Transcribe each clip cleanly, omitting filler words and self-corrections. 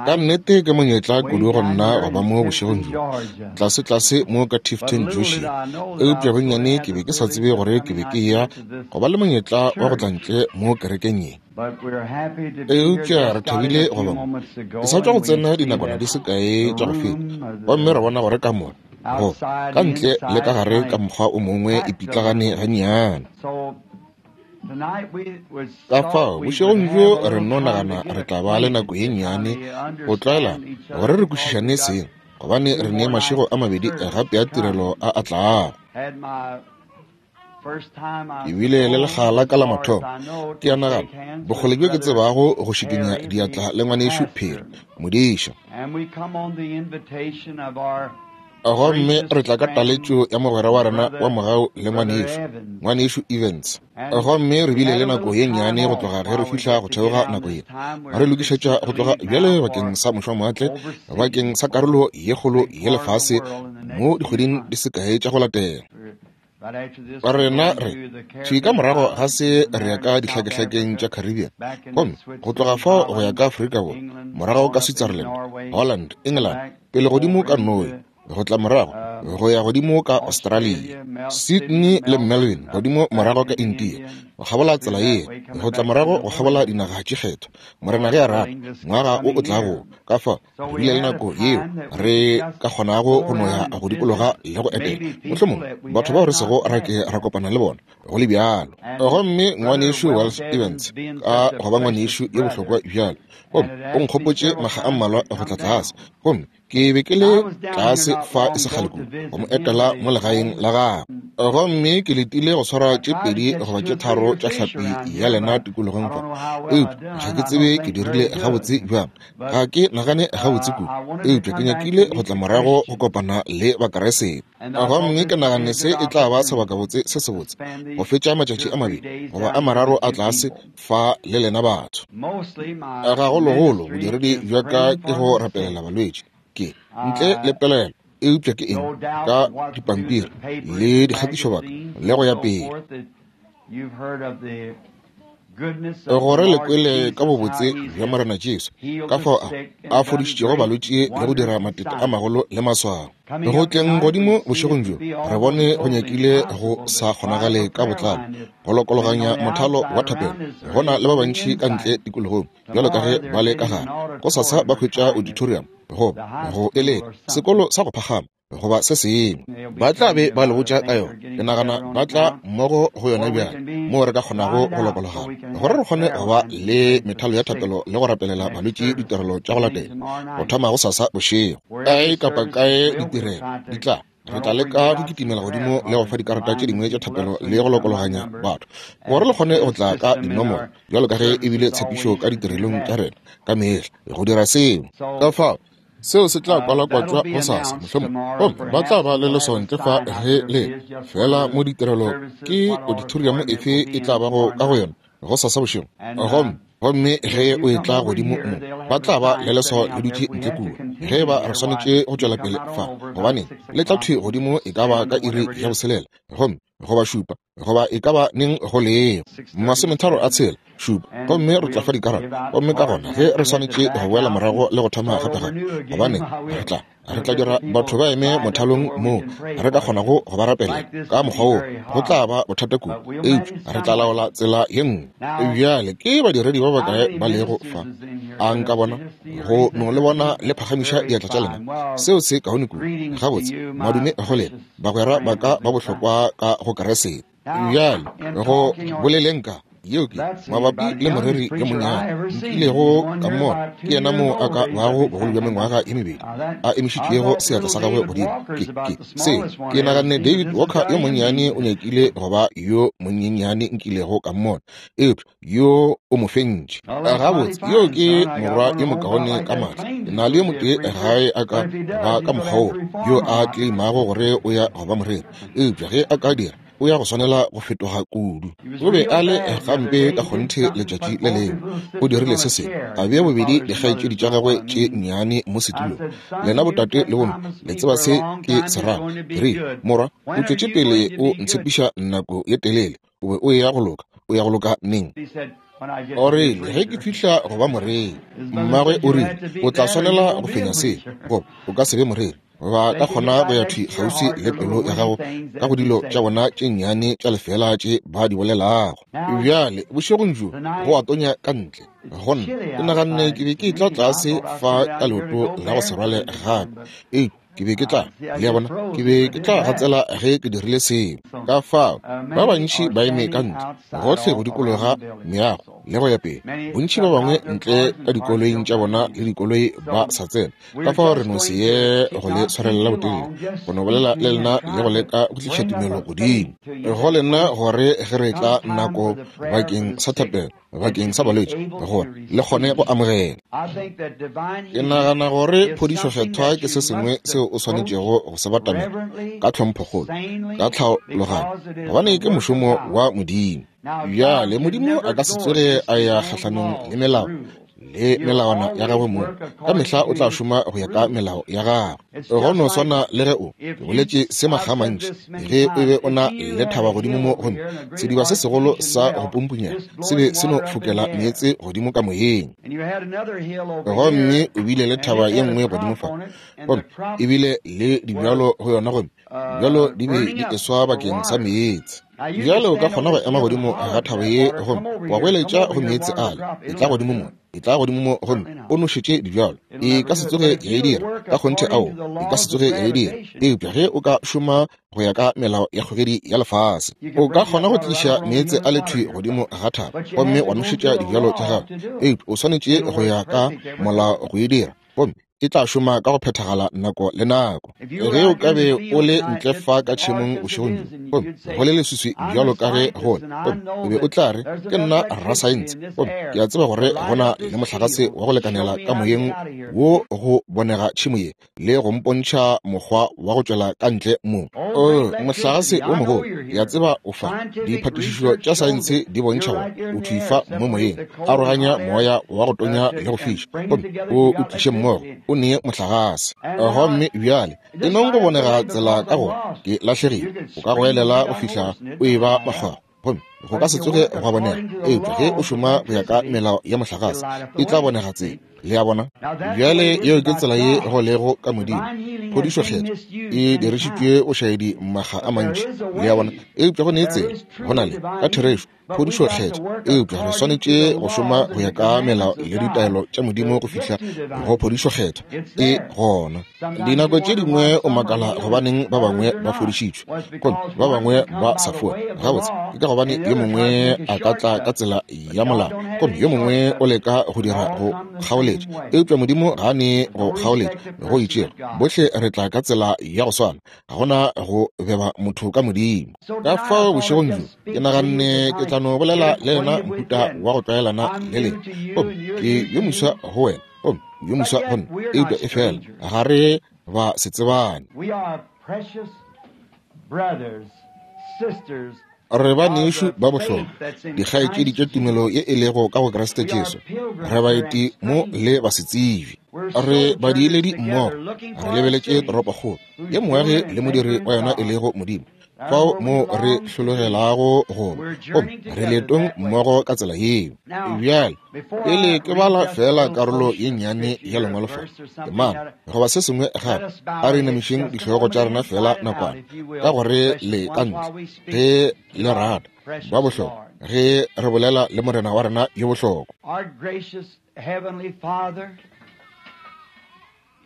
Ka nnete ke monyetla kudu go nna go ba mo bošegong bjo, tlasetlase mo ka Tifton, Georgia. Eupša bonnyane ke be ke sa tsebe gore ke be ke eya go ba le monyetla wa go tla ntle mo kerekeng ye. Eupša re thabile go ba mo. Ke sa tšwa go tsena dinakwana di se kae tša go feta, gomme ra bona gore kamora, go ka ntle le ka gare ka mokgwa o mongwe e pitlagane gannyane. Ka fao, bošegong bjo re nno nagana re tla ba le nako ye nnyane go tlwaelana, gore re kwešišane seng, gobane re ne mašego a mabedi gape a tirelo a a tlago. Ke bile le lekga la ka la mathomo, ke a nagana, bokgole bjo ke tsebago go šikinya diatla le ngwanešu Perry, modiša. Gomme re tla ka taletšo ya mogwera wa rena wa mogau le ngwanešu, ngwanešu Evans. Gomme re bile le nako ye nnyane go tloga ge re fihla go theoga nako ye. Re lokišetša go tloga bjale bakeng sa mošwamoatle, bakeng sa karolo ye kgolo ye lefase mo dikgweding di se kae tša go latela. Rena re thwi ka morago ga se re ya ka dihlakehlakeng tša Caribbean, gomme go tloga fao go ya ka Afrika Borwa, morago ka Switzerland, Holland, England, pele godimo ka Norway, go tla morago go ya godimo ka Australia, Sydney le Melbourne, godimo morago ka India, go kgabola tsela ye, go tla morago go kgabola dinaga tše kgethwa, Morena ge a rata, ngwaga o o tlago. Ka fao re bile le nako yeo re ka kgonago go no ya go dikologa le go etela, mohlomongwe batho bao re sego ra ke ra kopana le bona go le bjalo. Gomme ngwanešu Wells Evans, ka go ba ngwanešu yo bohlokwa bjalo, gomme o nkgopotše makga a mmalwa go tla tlase, gomme ke be ke le tlase fa e se kgale kudu go mo etela mo legaeng la gagwe. Gomme ke letile go swara tše pedi goba tše tharo tša hlapi ya lena tikologong fa, eupša ga ke tsebe ke dirile gabotse bjang. Ga ke nagane gabotse kudu, eupša ke nyakile go tla morago go kopana le Bakeresete. Gomme ke nagane se e tla ba sebakabotse se sebotse go fetša matšatši a mabedi goba a mararo a tlase fa le lena batho. Gagologolo bodiredi bja ka ke go rapelela balwetši, ke ntle le pelaelo, eupša ke eng ka dipampiri le dikgatišobaka le go ya pele. Gore le kwele ka bobotse bja Morena Jesu, ka fao a, a fodišitšego balwetši le go dira matete a magolo le maswao. Go tleng godimo bošegong bjo, re bone go nyakile go sa kgonagale ka botlalo go lokologanya mothalo wa thapelo. Go na le ba bantši ka ntle tikologong bjalo ka ge ba le ka gare. Gosasa ba hwetša auditorium goba go eleka sekolo sa go phagama goba se sengwe. Ba tla be ba le botša ka yona. Ke nagana ba tla mmogo go yona bjale, moo re ka kgonago go lokologana, gore re kgone go ba le methalo ya thapelo le go rapelela balwetši ditirelo tša go latela, go thoma gosasa bošego. Kae kapa kae ditirelo di tla, re tla leka go kitimela godimo le go fa dikarata tše dingwe tša thapelo le go lokologanya batho, gore le kgone go tla ka dinomoro, bjalo ka ge e bile tshepišo ka ditirelong tša rena ka mehla, go dira seo. Ka fao, Seo se tla kwalakwatšwa gosasa, mohlomongwe, gomme ba tla ba le leswao ntle fa ge le fela mo ditirelo. Ke auditorium efe e tla bago ka go yona gosasa bošego? Gomme, gomme ge o etla godimo mo, ba tla ba le leswao le dutše ntle kua. Ge eba re swanetše go tšwela pele fa, gobaneng, le tla thwi godimo e ka ba ka iri ya boselela, gomme goba šupa, goba e ka ba neng go lego masometharo a tshela šupa, gomme re tla fa dikarabo. Gomme ka gona ge re swanetše go boela morago le go thoma gape gape, gobane re tla re tla dira batho ba eme mothalong moo re ka kgonago go ba rapelela ka mokgwa woo, go tla ba bothata kudu, eupša re tla laola tsela ye nngwe. Bjale ke badiredi ba bakae ba lego fa? A nka bona go no le bona le phagamiša diatla tša lena? Seo se kaone kudu. Gabotse, madume go lena, bagwera ba ka ba bohlokwa ka go Keresete. Bjale, go boleleng ka yeo ke mabapi le moreri yo monnyane nkilego ka mmona, ke yena moo a ka bago bogolo bja mengwaga ye mebedi a emišitšego seatla sa gagwe godimo. Ke, ke, se, ke naganne David Walker yo monnyane o nyakile go ba yo monyenyane nkilego ka mmona, eupša yo o mo fentše. Gabotse, yo ke morwa yo mokaone ka matla. Ke na le yo motee gae a ka ba ka mokgwa wo, yo a tleimago gore o ya go ba moreri. Eupša ge a ka dira, o ya go swanela go fetoga kudu. O be a le gampe ka kgonthe letšatši le lengwe. O dirile se sengwe, a bea bobedi dikgaetšedi tša gagwe tše nnyane mo setulong. Lena botate le bomme le tseba se ke se rago. Ke rile, Morwa, o tšwetše pele o ntshepiša nako ye telele. O be o eya go loka. O ya go loka neng? O rile, Ge ke fihla go ba moreri. Mmagwe o rile, O tla swanela go fenya se, goba o ka se be moreri. Ba ka kgona go ya thwi kgauswi le pelo ya gago ka go dilo tša bona tše nnyane tša lefeela tše ba di bolelago. Bjale, bošegong bjo, go a tonya ka ntle. Go nna, ke naganne ke be ke etla tlase fa ka leoto la go se rwale gape. Eupša ke be ke tla, le a bona, ke be ke tla gatsela ge ke dirile seo. Ka fao, ba bantši ba eme ka ntle, gohle go dikologa meago le go ya pele. Bontši ba bangwe ntle ka dikoloing tša bona le dikoloi ba sa tsena. Ka fao re no se ye go le swarelela botelele, go no bolela le lena le go leka go tliša tumelo godimo go lena, gore ge re etla nako bakeng sa thapelo bakeng sa balwetši, gore le kgone go amogela. Ke nagana gore phodišo kgethwa ke se sengwe seo o swanetšego go se batamela ka tlhomphokgolo, ka tlhaologanyo, gobane ke mošomo wa Modimo. Bjale, Modimo a ka se tsoge a ya kgahlanong le melao le melawana ya gagwe mong. Ka mehla o tla šoma go ya ka melao ya gagwe. Go no swana le ge o, ke boletše se makga a mantši, ge o be o na le thaba godimo mo, gomme sediba se segolo sa go pumpunyega se be se no fokela meetse godimo ka moyeng. Gomme o bile le thaba ye nngwe godimo fa, gomme e bile le dibjalo go yona, gomme bjalo di be di eswa bakeng sa meetse. Bjale o ka kgona go ema godimo ga thaba ye gomme wa goeletša go meetse ale, etla godimo mo, etla godimo mo, gomme o nošetše dibjalo. E ka se tsoge ya e dira, ka kgonthe ao, e ka se tsoge ya e dira. Eupša ge o ka šoma go ya ka melao ya kgogedi ya lefase, o ka kgona go tliša meetse a lethwi godimo ga thaba gomme wa nošetša dibjalo tša gago. Eupša o swanetše go ya ka molao go e dira, gomme e tla šoma ka go phethagala nako le nako. Ge o ka be o le ntle fa ka tšhemong bošegong bjo, gomme go le leswiswi bjalo ka ge go le, gomme o be o tla re, Ke nna rasaense, gomme ke a tseba gore go na le mohlagase wa go lekanela ka moyeng wo go bonega tšhemo ye le go mpontšha mokgwa wa go tšwela ka ntle mo. O, mohlagase wo mogolo, ke a tseba o fa. Diphatišišo tša saense di bontšha gore o thwi fa mo moyeng. Aroganya moya wa go tonya le go fiša, gomme o o tliše mmogo, o nee mohlagase. Gomme bjale, e nong go bonega tsela ka gore ke lahlegile, o ka goelela go fihla o eba makgwakgwa, gomme go ka se tsoge gwa bonega. Eupša ge o šoma go ya ka melao ya mohlagase, e tla bonega tsela. Le a bona? Bjale, yeo ke tsela ye go lego ka Modimo. Phodišo Kgethwa e dirišitšwe bošaedi makga a mantši. Le a bona? Eupša go ne tsela, go na le, ka therešo, phodišo Kgethwa, eupša re swanetše go šoma go ya ka melao le ditaelo tša Modimo go fihla go phodišo Kgethwa e gona. Dinako tše dingwe o makala gobaneng ba bangwe ba fodišitšwe gomme ba bangwe ba sa fola. Gabotse, ke ka gobane yo mongwe a ka tla ka tsela ya molao gomme yo mongwe o leka go dira go kgaoletša, eupša Modimo ga a nee go kgaoletša go itšego. Bohle re tla ka tsela ya go swana. Ga go na go beba motho ka Modimo. Ka fao bošegong bjo ke naganne ke tla no bolela le lena mohuta wa go tlwaelana le lena. Gomme ke yo moswa go wena, gomme yo moswa go nna, eupša efela ga re ba se tsebane. Re banešu ba bohlokwa, dikgaetšedi tša tumelo ye e lego ka go Kriste Jesu. Re baeti mo le basetsebje. Re badiiledi mmogo, re lebeletše toropokgolo ye moagi le modiri wa yona e lego Modimo, fao mo re hlologelago go ba, gomme re leetong mmogo ka tsela yeo. Bjale, pele ke bala feela karolo ye nnyane ya Lengwalo fa, temana goba se sengwe gape, a re inamišeng dihlogo tša rena feela nakwana, ka gore le ka ntle, ge le rata, ba bohlokwa, ge re bolela le Morena wa rena yo bohlokwa.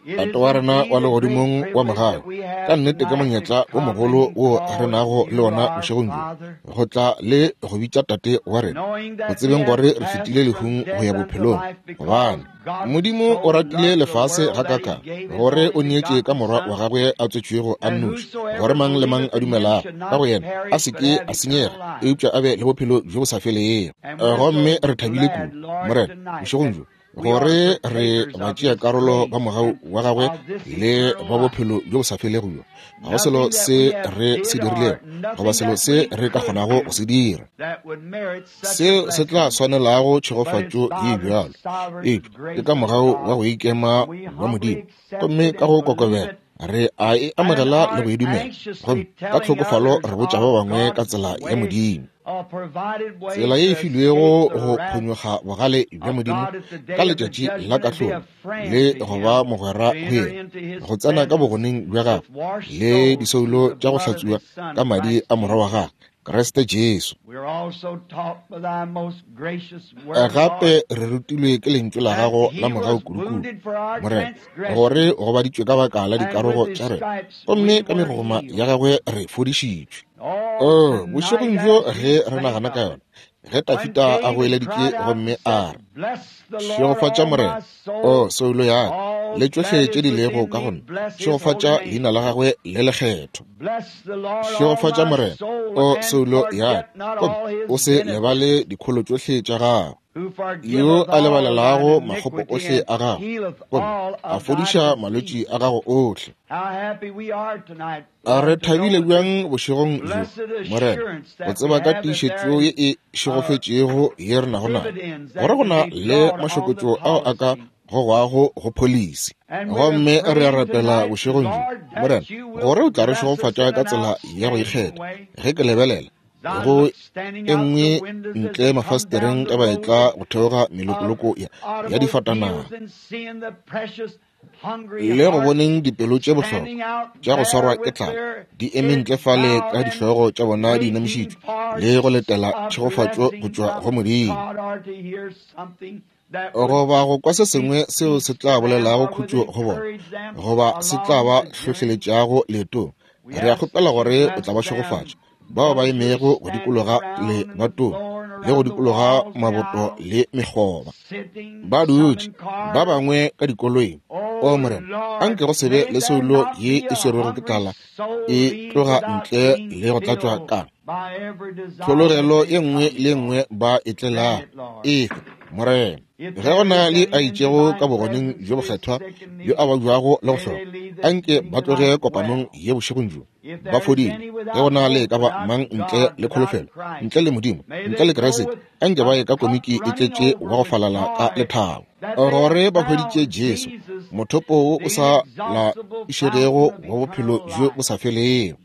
Tate wa rena wa legodimong wa mogau, ka nnete ke monyetla o mogolo wo re nago le ona bošegong bjo, go tla le go bitša Tate wa rena, go tsebeng gore re fetile lehung go ya bophelong. Gobane Modimo o ratile lefase gakaakang, gore o neetše ka Morwa wa gagwe a tswetšwego a nnoši, gore mang le mang a dumelago ka go yena a se ke a senyega, eupša a be le bophelo bjo bo sa felego. Gomme re thabile kudu, Morena, bošegong bjo, gore re batšeakarolo ba mogau wa gagwe le ba bophelo bjo bo sa felego bjo. Ga go selo se re se dirilego goba selo se re ka kgonago go se dira seo se tla swanelago tšhegofatšo ye bjalo, eupša ke ka mogau wa go ikema wa Modimo, gomme ka go kokobela re a e amogela le go e dumela, gomme ka tlhokofalo re botša ba bangwe ka tsela ya Modimo. Tsela ye e filwego go phonyokga bogale bja Modimo ka letšatši la kahlolo, le go ba mogwera go yena, go tsena ka bogoneng bja gagwe le disoulo tša go hlatswiwa ka madi a Morwa wa gagwe, Kriste Jesu. Gape re rutilwe ke lentšu la gago la mogau kudukudu, Morena, gore o gobaditšwe ka baka la dikarogo tša rena, gomme ka megogoma ya gagwe re fodišitšwe. Oh, bošegong bjo ge re nagana ka yona, ge Tafita a goeleditše gomme a re, Šegofatša Morena, o soulo ya ka, le tšohle tše di lego ka go nna, šegofatša leina la gagwe le lekgetho. Šegofatša Morena, o soulo ya ka, gomme o se lebale dikholo tšohle tša gagwe, yo a lebalelago makgopo ohle a gago, gomme a fodiša malwetši a gago ohle. A re thabile bjang bošegong bjo, Morena, go tseba ka tiišetšo ye e šegofetšego ye re nago nayo, gore go na le mašokotšo ao a ka gogwago go pholisi. Gomme re a rapela bošegong bjo, Morena, gore o tla re šegofatša ka tsela ya go ikgetha. Ge ke lebelela go e nngwe ntle mafastereng ka ba etla go theoga melokoloko ya difatanaga, le go boneng dipelo tše bohlokwa tša go swarwa ke tlala di eme ntle fale ka dihlogo tša bona di inamišitšwe le go letela tšhegofatšo go tšwa go Modimo, goba go kwa se sengwe seo se tla bolelago khutšo go bona, goba se tla ba hlohleletšago leetong. Re a kgopela gore o tla ba šegofatša bao ba emego go dikologa lebatong le go dikologa maboto le mekgoba, ba dutše ba bangwe ka dikoloing. O Morena, anke go se be le soulo ye e swerwego ke tlala e tloga ntle le go tlatšwa ka tlhologelo ye nngwe le ye nngwe ba e tlelago. Efe, Morena, ge go na le a itšego ka bogoneng bjo bokgethwa bjo a babjago le go hloka, anke ba tloge kopanong ye bošegong bjo ba fodile. Ge go na le e ka ba mang ntle le kholofelo, ntle le Modimo, ntle le Kriste, anke ba ye ka komiki e tletše wa go falala ka lethabo, gore ba hweditše Jesu, mothopo wo o sa laišegego wa bophelo bjo bo sa felego.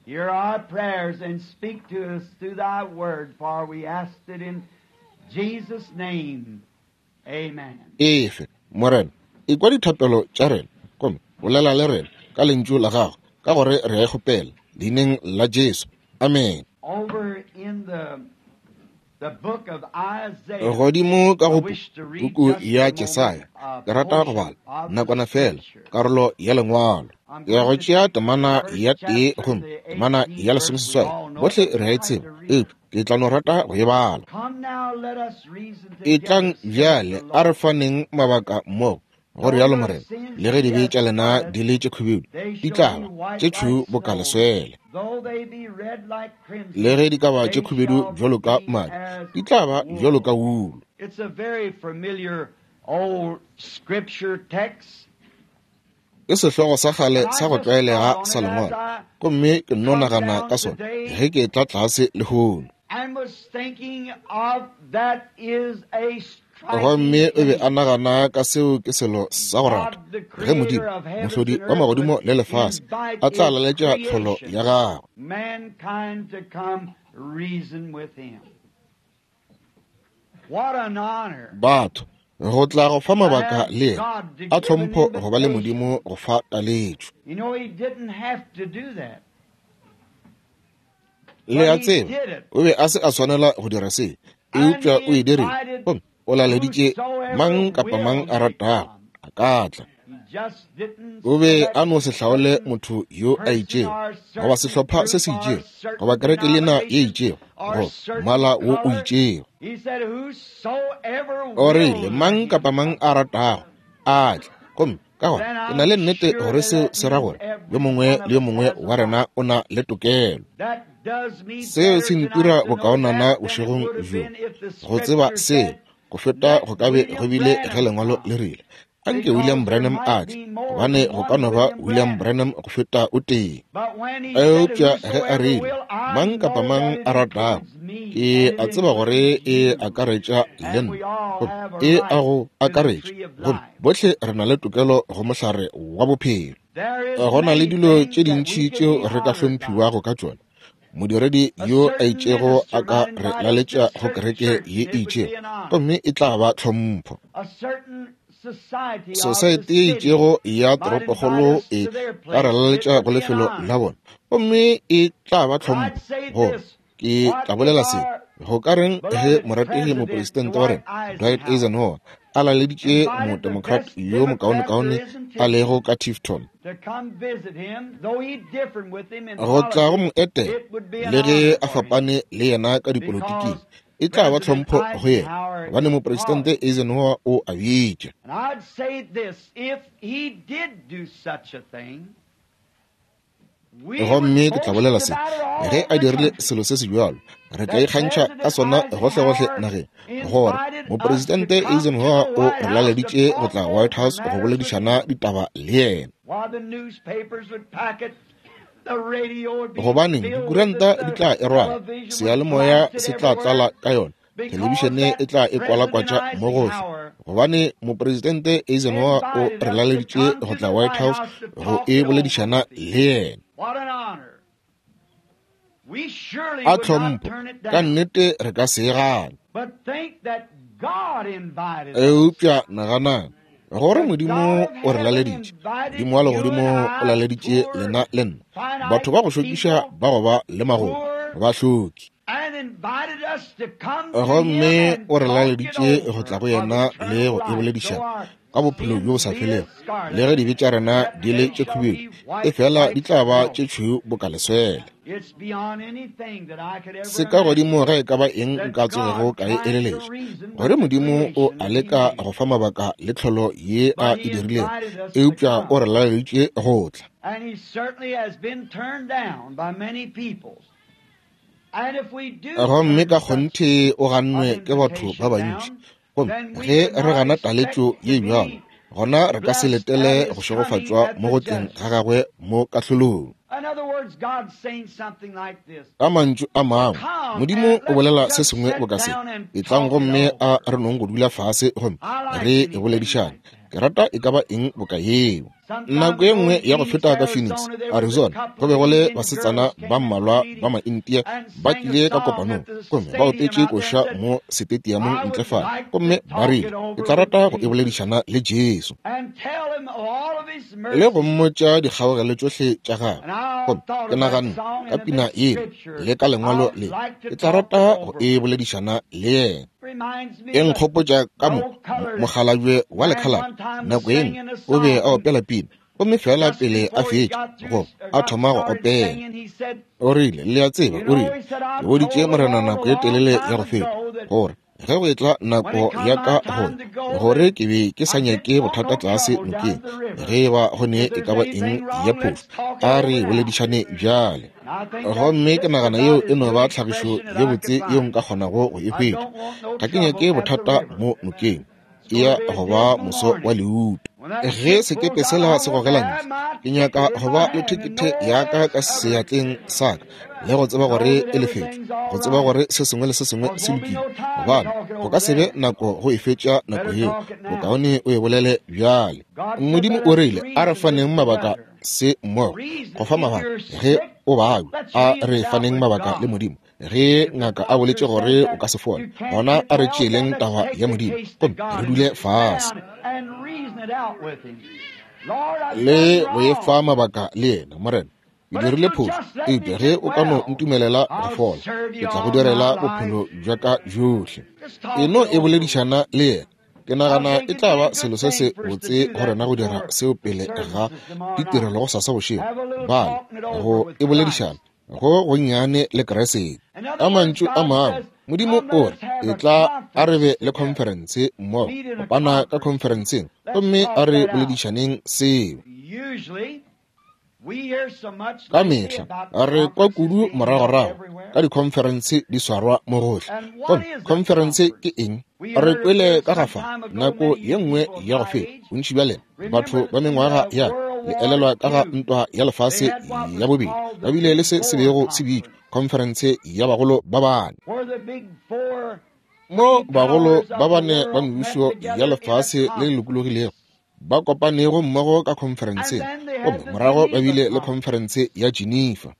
Hear our prayers and speak to us through thy word, for we ask it in Jesus' name. Amen. Efe, Morena, ekwa dithapelo tša rena, gomme bolela le rena ka lentšu la gago, ka gore re a e kgopela leineng la Jesu. Amen. Over in the book of Isaiah, Godimo ka go puku ya Jesaya, ke rata go bala nakwana fela karolo ya lengwalo. Ke ya go tšea temana ya 1 gomme temana ya 18. Bohle re a e tseba, eupša ke tla no rata go e bala. Come now, let us reason Etlang together, saith bjale, the a re Lord. faneng mabaka mmogo, go rialo Morena. Le ge dibe tša lena di le tše khubedu, They di shall tla be ba white tše like tšhweu boka snow. leswele. Though they be red like crimson, Le ge di ka ba tše they khubedu shall bjalo ka be madi, as di tla ba bjalo ka wool. wulu. It's a very familiar old scripture text. Ke sehlogo sa kgale And I sa go just thought tlwaelega on sa it as lengwalo, I gomme ke nno come nagana down ka sona today ge ke tla tlase lehono. and was thinking of that is a striking Gomme o be a thing. nagana ka seo ke selo sa go rata, God, the ge Modimo, creator of heavens mohlodi and wa earth, magodimo would le lefase, invite a tla his laletša tlholo creation, ya gagwe, mankind, to come reason with him. What an honor batho go tla go fa to mabaka have le yena, God to a give an tlhompho go ba le invitation. Modimo go fa taletšo. You know, he didn't have to do that, Le but a he tseba, did it. o be a se a swanela go dira se, And eupša he o e dirile, invited gomme o laleditše mang whosoever kapa mang will a may ratago come. a ka tla. He just didn't O be select a no se hlaole certain motho yo a person itšego, or goba certain sehlopha se group se or itšego, goba certain kereke lena ye denomination itšego, or goba certain mmala wo o color. itšego. He said, Whosoever O will, rile, let mang him kapa mang come. a ratago a tle. Gomme ka gona Then ke na le I'm nnete sure gore that seo that se ra means gore yo every mongwe one le of yo us mongwe has a wa rena right. o na le tokelo. That does me Seo better se tonight ntira to know bokaonana that than it bošegong would have bjo, been if the go tseba scripture seo said, go feta Let go ka be go William bile ge Branham lengwalo come. le rile, anke William Because there Branham might a tle, be more gobane than go ka one no ba William William Branham. Branham go feta o tee. But when he said, Eupša ge a Whosoever rile, will, I mang kapa know mang that it a ratago, includes me ke and a it tseba gore includes e you. akaretša le And we nna, all gomme have a e a right go to the akaretša, tree of gomme life. bohle re na le tokelo go mohlare wa bophelo. There is Go na le many dilo things tše that we dintši could tšeo be re ka honored by. hlomphiwago ka tšona. Modiredi yo a itšego a ka re laletša go kereke ye e itšego, gomme e tla ba tlhompho. Sosaete ye itšego ya toropokgolo e ka re laletša go lefelo la bona, gomme e tla ba tlhompho. Goba ke tla bolela se, go ka reng ge morategi mopresidente wa rena Dwight Eisenhower a laleditše modemocrat yo mokaonekaone a lego ka Tifton go tla go mo etela, le ge a fapane le yena ka dipolotiking, e tla ba tlhompho go yena, gobane mopresidente Eisenhower o a bitša. Gomme ke tla bolela se, ge a dirile selo se se bjalo, re tla ikgantšha ka sona gohlegohle nageng, gore mopresidente Eisenhower o re laleditše go tla White House go boledišana ditaba le yena. Gobaneng, dikuranta di tla e rwala, seyalemoya se tla tlala ka yona, thelebišene e tla e kwalakwatša mo gohle, gobane mopresidente Eisenhower o re laleditše go tla White House go e boledišana le yena. A tlhompho, ka nnete re ka se e gane. Eupša naganang gore Modimo o re laleditše, Modimo wa legodimo o laleditše lena le nna, batho ba go šokiša ba go ba le magomo, bahloki. Gomme o re laleditše go tla go yena le go e boledišana ka bophelo bjo bo sa felego, le ge dibe tša rena di le tše khubedu, e fela di tla ba tše tšhweu boka leswele. Se ka godimo ga e ka ba eng nka tsogego ka e eleletša, gore Modimo o a leka go fa mabaka le tlholo ye a e dirilego, eupša o re laleditše go tla. Gomme ka kgonthe o gannwe ke batho ba bantši. Gomme ge re gana taletšo ye bjalo, gona re ka se letele go šegofatšwa mo go tleng ga gagwe mo kahlolong. Ka mantšu a mangwe, Modimo o bolela se sengwe boka se, etlang gomme a re nong go dula fase gomme re e boledišane. Ke rata e ka ba eng boka yeo. Nako ye nngwe ya go feta ka Phoenix, Arizona, go be go le basetsana ba mmalwa ba Maintia ba tlile ka kopanong, gomme ba opetše koša mo setetiamong ntle fale, gomme ba rile, Ke tla rata go e boledišana le Jesu le go mmotša dikgaogelo tšohle tša gagwe. Gomme ke naganne ka pina yela le ka lengwalo le, ke tla rata go e boledišana le yena. E nkgopotša ka mo mokgalabje wa lekhalaba nako e nngwe o be a opela pina, gomme fela pele a fetša go a thoma go opela, o rile, le a tseba, o rile, ke boditše Morena nako e telele ya go feta gore ge go etla nako ya ka go gore ke be ke sa nyake bothata tlase nokeng, ge e ba go ne e ka ba eng ya phošo, a re boledišane bjale. Gomme ke nagana yeo e no ba tlhagišo ye botse yeo nka kgonago go e hwetša. Ga ke nyake bothata mo nokeng, e ya go ba moso wa leuto. Ge sekepe sela se gogela ntle, ke nyaka go ba le thekethe ya ka ka seatleng sa ka le go tseba gore e lefetšwe, go tseba gore se sengwe le se sengwe se lokile, gobane go ka se be nako go e fetša nako yeo. Bokaone o e bolele bjale. Modimo o rile, a re faneng mabaka se mmogo, go fa mabaka ge o babja. A re faneng mabaka le Modimo. Ge ngaka a boletše gore o ka se fole, gona a re tšeeleng taba ya Modimo gomme re dule fase le go e fa mabaka le yena. Morena, ke dirile phošo, eupša ge o ka no ntumelela go fola, ke tla go direla bophelo bja ka bjohle. E no e boledišana le yena. Ke nagana e tla ba selo se se botse go rena go dira seo pele ga ditirelo go sasa bošego, bale go e boledišana go gonnyane le Kriste. Ka mantšu a mangwe, Modimo o re, etla a re be le khonferense mmogo, kopana ka khonferenseng, gomme a re boledišaneng seo. Ka mehla re kwa kudu moragorago ka dikhonferense di swarwa mo gohle. Gomme khonferense ke eng? Re kwele ka ga fa nako ye nngwe ya go feta, bontši bja lena batho ba mengwaga ya le elelwa ka ga ntwa ya lefase ya bobedi, ba bile le se se bego se bitšwa khonferense ya bagolo ba bane, mo bagolo ba bane ba mebušo ya lefase le le lokologilego ba kopanego mmogo ka khonferenseng. Gomme morago ba bile le khonferense ya Geneva.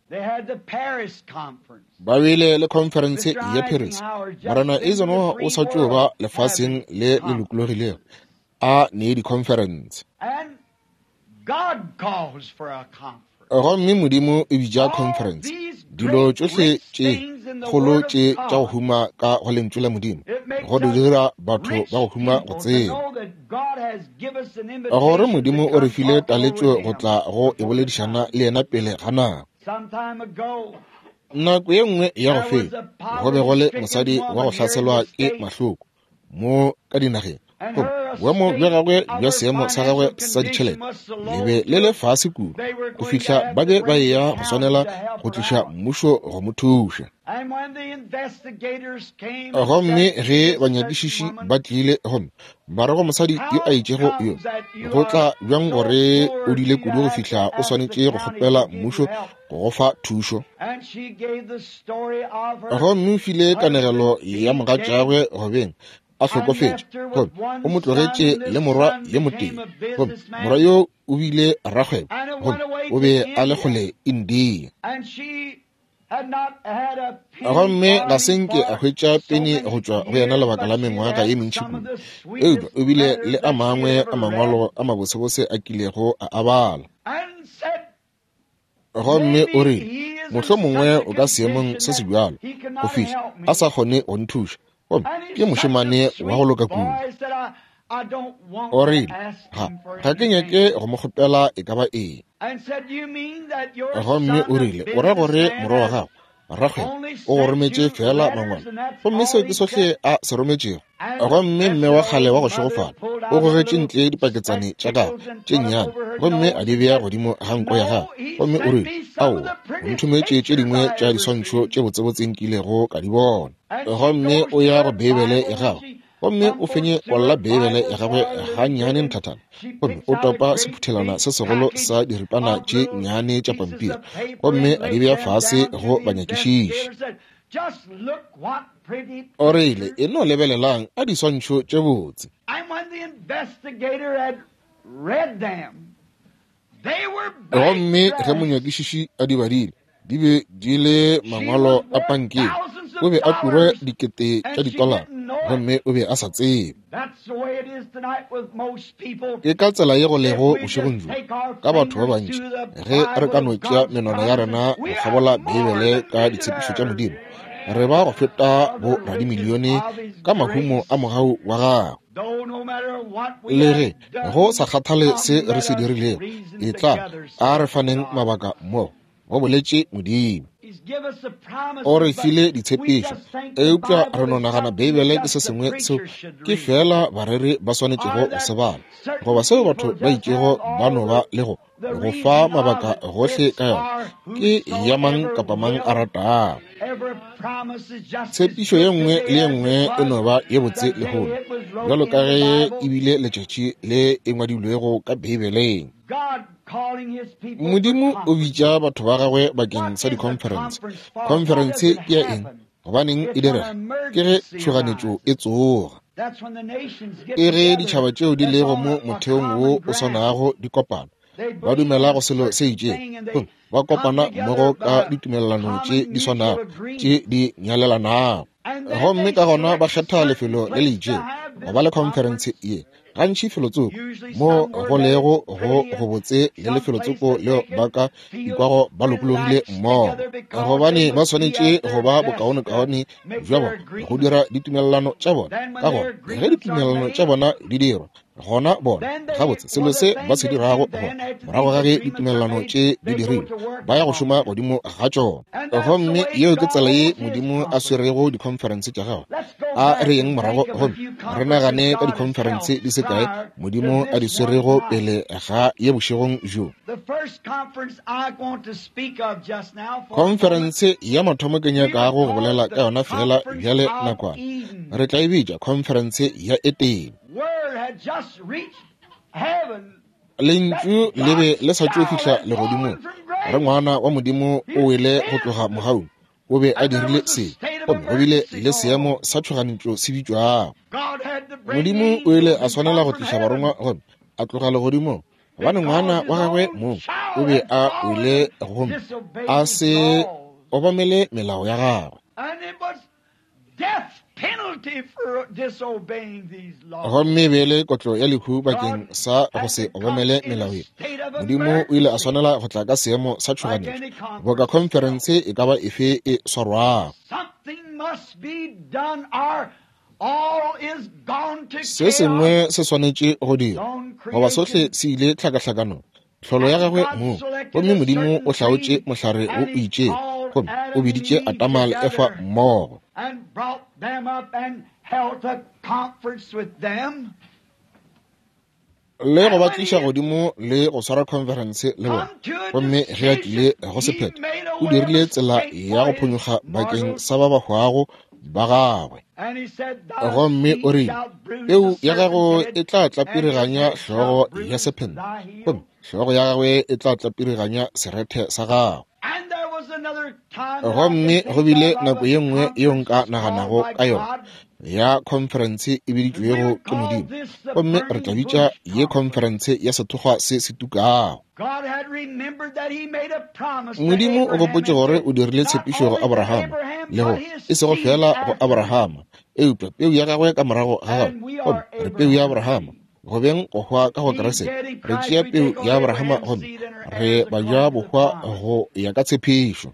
Ba bile le khonferense ya Paris. Morena Eisenhower o sa tšo ba lefaseng le le lokologilego a nee dikhonferense. Gomme Modimo o bitša khonferense. Dilo tšohle tše kgolo tše tša go huma ka go Lentšu la Modimo, go di dira batho ba go huma go tseba gore Modimo o re file taletšo go tla go e boledišana le yena pele ga nako. Nako ye nngwe ya go feta, go be go le mosadi wa go hlaselwa ke mahloko mo ka dinageng. Gomme boemo bja gagwe bja seemo sa gagwe sa ditšhelete le be le le fase kudu go fihla ba be ba eya go swanela go tliša mmušo go mo thuša. Gomme ge banyakišiši ba tlile gomme ba re go mosadi yo a itšego yo, go tla bjang gore o dile kudu go fihla o swanetše go kgopela mmušo go go fa thušo? Gomme o file kanegelo ya mogatšagwe gobeng a hlokofetše, gomme o mo tlogetše le morwa yo motee, gomme morwa yo o bile rakgwebo, gomme o be a le kgole India. Gomme ga se nke a hwetša peni go tšwa go yena lebaka la mengwaga ye mentši kudu, eupša o bile le a mangwe a mangwalo a mabosebose a kilego a a bala. Gomme o rile, mohlomongwe o ka seemong se se bjalo go fihla a sa kgone go nthuša, gomme ke mošemane wa go loka kudu. O rile, ga ke nyake go mo kgopela e ka ba eng. Gomme o rile, o ra gore morwa wa gago rakgwebo o go rometše feela mangwalo, gomme seo ke sohle a se rometšego? Gomme mme wa kgale wa go šegofala o gogetše ntle dipaketsane tša gagwe tše nnyane gomme a di bea godimo ga nko ya gagwe, gomme o rile, aowa, o nthometše tše dingwe tša diswantšho tše botsebotse nkilego ka di bona. Gomme o ya go Beibele ya gagwe gomme o fenye kolla Beibele ya gagwe gannyane nthathana, gomme o topa sephuthelwana se segolo sa diripana tše nnyane tša pampiri gomme a di bea fase go banyakišiši. O rile, e no lebelelang a diswantšho tše botse. Gomme ge monyakišiši a di badile, di be di le mangwalo a pankeng. O be a turwe dikete tša ditolara, gomme o be a sa tsebe. Ke ka tsela ye go lego bošegong bjo ka batho ba bantši, ge re ka no tšea menwana ya rena go kgabola Beibele ka ditshepišo tša Modimo, re ba go feta bo radimilione ka mahumo a mogau wa gagwe. Le ge go sa kgathale se re se dirilego, e tla a re faneng mabaka mmogo, go boletše Modimo. O re file ditshepišo, eupša re no nagana Beibele ke se sengwe seo ke feela bareri ba swanetšego go se bala, goba seo batho ba itšego ba no ba le go go fa mabaka gohle ka yona, ke ya mang kapa mang a ratago. Tshepišo ye nngwe le ye nngwe e no ba ye botse lehono, bjalo ka ge e bile letšatši le e ngwadilwego ka Beibeleng. Modimo o bitša batho ba gagwe bakeng sa dikhonferense. Khonferense ke ya eng? Gobaneng e direga? Ke ge tšhoganetšo e tsoga. Ke ge ditšhaba tšeo di lego mo motheong wo o swanago di kopana, ba dumela go selo se itšego, ba kopana mmogo ka ditumelelano tše di swanago tše di nyalelanago, gomme ka gona ba kgetha lefelo le le itšego go ba le khonferense ye. Gantši felotsoko mo go lego go gobotse le lefelotsoko leo ba ka ikwago ba lokologile mmogo, gobane ba swanetše go ba bokaonekaone bja bona go dira ditumelelano tša bona. Ka gona ge ditumelelano tša bona di dirwa, gona bona gabotse selo se ba se dirago gona morago ga ge ditumelelano tše di dirilwe, ba ya go šoma godimo ga tšona. Gomme yeo ke tsela ye Modimo a swerego dikhonferense tša gagwe. A re yeng morago gomme re nagane ka dikhonferense di se kae Modimo a di swerego pele ga ye bošegong bjo. Khonferense ya mathomo ke nyakago go bolela ka yona feela bjale nakwana, re tla e bitša khonferense ya Etene. Lentšu le be le sa tšo fihla legodimong, re ngwana wa Modimo o wele go tloga mogaung, o be a dirile se, gomme go bile le seemo sa tšhoganetšo se bitšwago. Modimo o ile a swanela go tliša barongwa gomme a tloga legodimong. Gobane ngwana wa gagwe mong o be a wele gomme a se obamele melao ya gagwe. Gomme e be e le kotlo ya lehu bakeng sa go se obamele melao ye. Modimo o ile a swanela go tla ka seemo sa tšhoganetšo, boka khonferense e ka ba efe e swarwago. Se sengwe se swanetše go dirwa, goba sohle se ile tlhakahlakanong, tlholo ya gagwe mong. Gomme Modimo o hlaotše mohlare wo o itšego, gomme o biditše Adama le Efa mmogo. Le go ba tliša godimo le go swara khonferense le bona. Gomme ge a tlile go sephetho, o dirile tsela ya go phonyokga bakeng sa ba ba hwago ba gagwe. Gomme o rile, Peu ya gago e tla tlapiriganya hlogo ya sephente, gomme hlogo ya gagwe e tla tlapiriganya serethe sa gago. Gomme go bile nako ye nngwe yeo nka naganago ka yona ya khonferense e biditšwego ke Modimo, gomme re tla bitša ye khonferense ya sethokgwa se se tukago. Modimo o gopotše gore o dirile tshepišo go Abrahama, le go e sego feela go Abrahama, eupša peu ya gagwe ka morago ga gagwe. Gomme re peu ya Abrahama, go beng go hwa ka go Kriste. Re tšea peu ya Abrahama gomme re ba ja bohwa go ya ka tshepišo.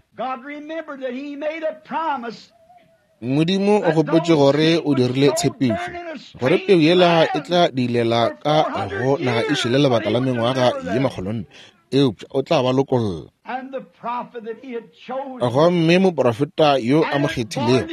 Modimo o gopotše gore o dirile tshepišo, gore peu yela e tla diilela ka go naga e šele lebaka la mengwaga ye makgolonne, eupša o tla ba lokolla. Gomme moprofeta yo a mo kgethilego,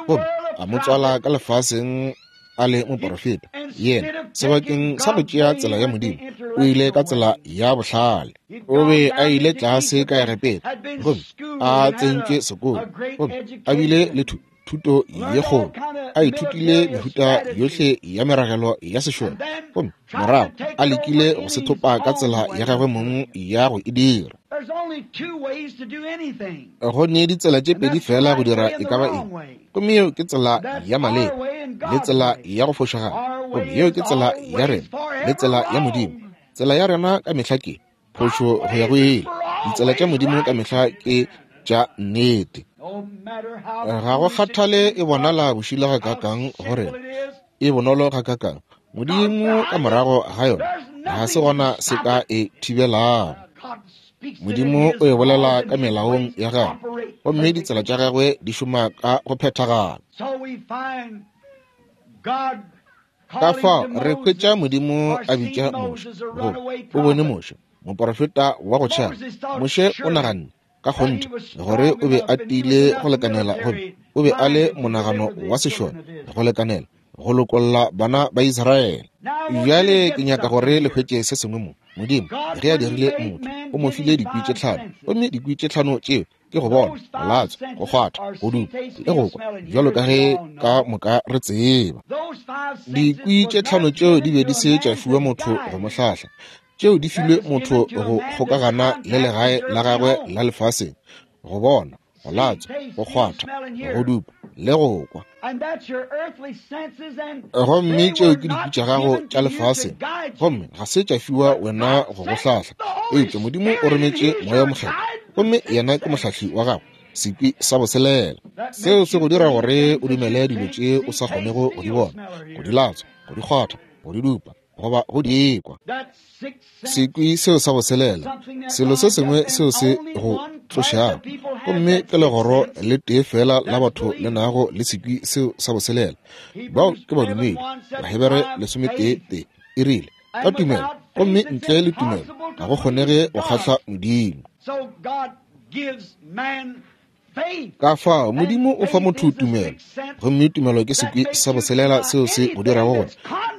gomme a mo tswala ka lefaseng a le moprofeta, yena sebakeng sa go tšea tsela ya Modimo, o ile ka tsela ya bohlale. O be a ile tlase ka Egepeta, gomme a tsentšwe sekolo, gomme a bile le thuto ye kgolo, a ithutile mehuta yohle ya meragelo ya sešole, gomme morago a lekile go se thopa ka tsela ya gagwe mong ya go e dira. Go ne ditsela tše pedi fela go dira e ka ba eng, gomme yeo ke tsela ya maleba le tsela ya go fošagala, gomme yeo ke tsela ya rena le tsela ya Modimo. Tsela ya rena ka mehla ke phošo go ya go ile, ditsela tša Modimo ka mehla ke tša nnete. Ga go kgathale e bonala bošula gakaakang go rena, e bonolo gakaakang, Modimo ka morago ga yona ga se gona se ka e thibelago. Modimo o e bolela ka melaong ya gagwe, gomme ditsela tša gagwe di šoma ka go phethagala. Ka fao re hwetša Modimo a bitša Moshe, goba o bone Moshe, moprofeta wa go tšhaba. Moshe o naganne ka kgonthe gore o be a tiile go lekanela, gomme o be a le monagano wa sešole go lekanela go lokolla bana ba Israele. Bjale ke nyaka gore le hwetše se sengwe mo. Modimo ge a dirile motho, o mo file dikwi tše tlhano, gomme dikwi tše tlhano tšeo ke go bona, go latswa, go kgwatha, go dupa le go kwa, bjalo ka ge ka moka re tseba. Dikwi tše tlhano tšeo di be di se tša fiwa motho go mo hlahla, tšeo di filwe motho go kgokagana le legae la gagwe la lefaseng, go bona, go latswa, go kgwatha, go dupa le go kwa. Gomme tšeo ke dikwi tša gago tša lefaseng, gomme ga se tša fiwa wena go go hlahla, eupša Modimo o rometše Moya Mokgethwa, gomme yena ke mohlahli wa gago, sekwi sa boselela. Seo se go dira gore o dumele dilo tše o sa kgonego go di bona, go di latswa, go di kgwatha, go di dupa, goba go di kwa. Sekwi seo sa boselela, selo se sengwe seo se go tlošago, gomme ke legoro le tee fela la batho le nago le sekwi seo sa boselela. Bao ke badumedi. Bahebere 11:3 e rile, ka tumelo, gomme ntle le tumelo ga go kgonege go kgahla Modimo. Ka fao Modimo o fa motho tumelo, gomme tumelo ke sekwi sa boselela seo se go dirago gore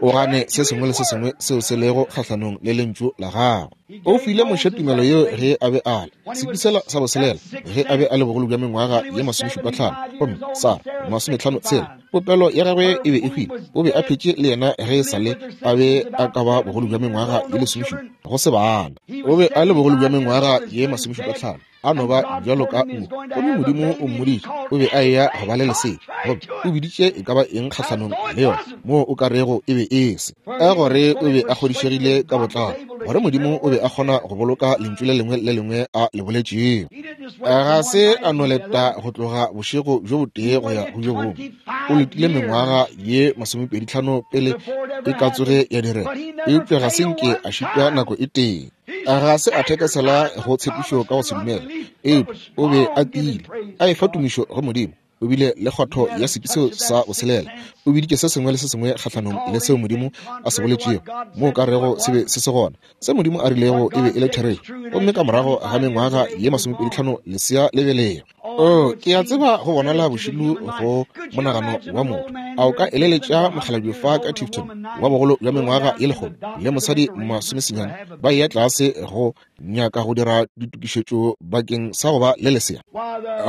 o gane se sengwe le se sengwe seo se lego kgahlanong le lentšu la gagwe. O file Moshe tumelo yeo ge a be a le sekwi sela sa boselela, ge a be a le bogolo bja mengwaga ye 75, gomme Sara 56. Popelo ya gagwe e be e hwile, o be a phetše le yena ge e sa le a be a ka ba bogolo bja mengwaga ye 17, go se bana. O be a le bogolo bja mengwaga ye 75. A no ba bjalo ka nku, gomme Modimo o mmoditše o be a eya go ba le lesea, gomme o biditše e ka ba eng kgahlanong le yona moo o ka rego e be e se, ka gore o be a kgodišegile ka botlalo. gore Modimo o be a kgona go boloka lentšu le lengwe le lengwe a le boletšego. Ga se a no leta go tloga bošego bjo botee go ya go bjo bongwe. O letile mengwaga ye 25 pele e ka tsoge ya direga, eupša ga se nke a šitwa nako e tee. Ga se a thekesela go tshepišo ka go se dumela, eupša o be a tiile, a efa tumišo go Modimo. O bile le kgwatho ya sepi seo sa boselela. O biditše se sengwe le se sengwe kgahlanong le seo Modimo a se boletšego, mo o ka rego se be se se gona. Se Modimo a rilego e be e le therešo. Gomme ka morago ga mengwaga ye 25 lesea le belega. Oh, ke a tseba go bonala bošilo go monagano wa motho. A o ka eleletša mokgalabje fa ka Tifton wa bogolo bja mengwaga ye 100 le mosadi 90 ba eya tlase go nyaka go dira ditokišetšo bakeng sa go ba le lesea?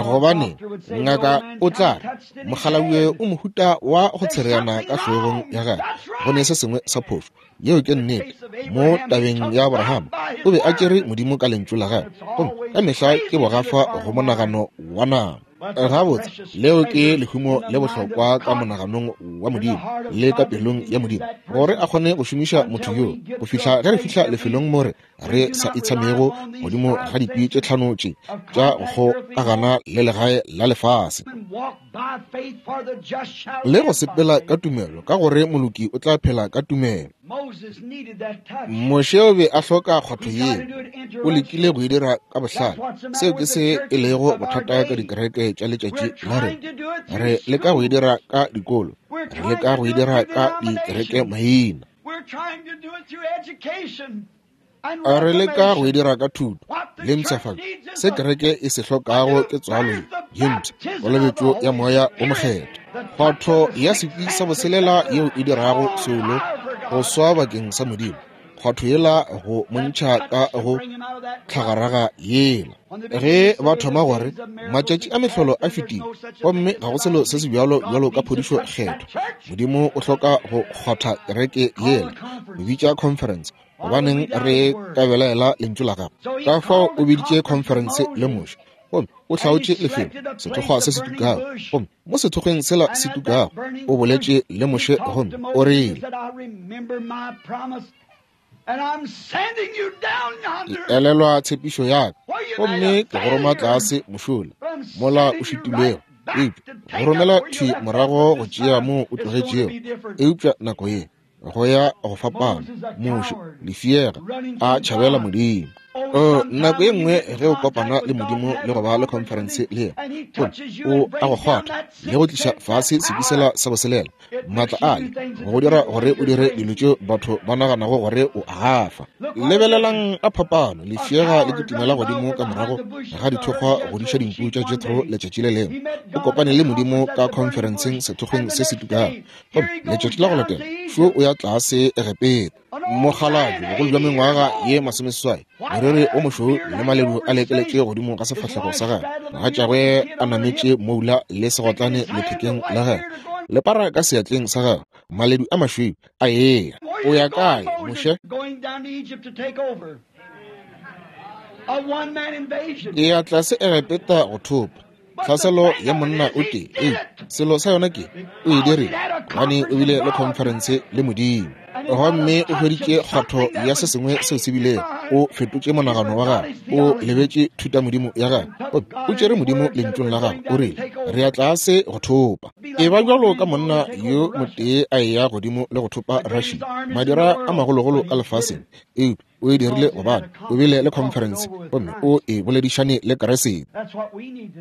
Gobane ngaka o tla re mokgalabje o mohuta wa go tshereana ka hlogong ya gagwe, go ne se sengwe sa phošo. Yeo ke nnete. Mo tabeng ya Abraham, o be a tšere Modimo ka lentšu la gagwe, gomme ka mehla ke bogafa go monagano wa nama. Gabotse, leo ke lehumo le bohlokwa ka monaganong wa Modimo le ka pelong ya Modimo, gore a kgone go šomiša motho yo go fihla ge re fihla lefelong mo re sa itshamego godimo ga dikwi tše tlhano tše tša go kgokagana le legae la lefase, le go sepela ka tumelo, ka gore moloki o tla phela ka tumelo. Moshe o be a hloka kgwatho yeo. O lekile go e dira ka bohlale. Seo ke se e lego bothata ka dikereke tša letšatši la rena. Re leka go e dira ka dikolo, re leka go e dira ka dikereke maina, re leka go e dira ka thuto le mpshafatšo. Se kereke e se hlokago ke tswalo ye mpsha, kolobetšo ya Moya o Mokgethwa, kgwatho ya sekwi sa boselela yeo e dirago soulo go swa bakeng sa Modimo, kgwatho yela go montšha ka go tlhagaraga yela. Ge ba thoma gore matšatši a mehlolo a fetile gomme ga go selo se se bjalo bjalo ka phodišo kgethwa, Modimo o hloka go kgwatha kereke yela, go bitša conference. Gobaneng re ka belaela lentšu la gagwe? Ka fao o biditše conference le Moshe, gomme o hlaotše lefelo, sethokgwa se se tukago, gomme mo sethokgweng sela se tukago o boletše le Moshe gomme o rile, Ke elelwa tshepišo ya ka, gomme ke go roma tlase mošola mola o šitilwego, eupša go romela thwi morago go tšea moo o tlogetšego. Eupša nako ye go ya go fapana. Moshe, lefiega, a tšhabela Modimo. Oh, nako ye nngwe ge o kopana le Modimo le go ba le conference le yena, gomme o a go kgwatha le go tliša fase sekisela sa boselela, maatla ale go dira gore o dire dilo tšeo batho ba naganago gore o a gafa. Lebelelang a phapano, lefiega le kitimela godimo ka morago ga dithokgwa go diša dinku tša Jethro letšatši le lengwe. O kopane le Modimo ka conferenceng sethokgweng se se tukago, gomme letšatši la go latela šo o ya tlase Egepeta. Mokgalabje bogolo bja mengwaga ye 80, moriri o mošweu le maledu a lekeletše godimo ga sefahlego sa gagwe, mogatšagwe a nametše moula le segotlane lethekeng la gagwe, lepara ka seatleng sa gagwe, maledu a mašweu a eya. O ya kae, Moshe? Ke ya tlase Egepeta go thopa tlhaselo ya monna o tee. Eupša selo sa yona ke o e dirile gobane o bile le conference le Modimo, gomme o hweditše kgwatho ya se sengwe seo se bilego. O fetotše monagano wa gagwe, o lebetše thutamodimo ya gagwe, gomme o tšere Modimo lentšung la gagwe. O rile, Re ya tlase go thopa. E ba bjalo ka monna yo motee a eya godimo le go thopa Russia, madira a magologolo ka lefaseng, eupša o e dirile gobane o bile le conference gomme o e boledišane le Keresete.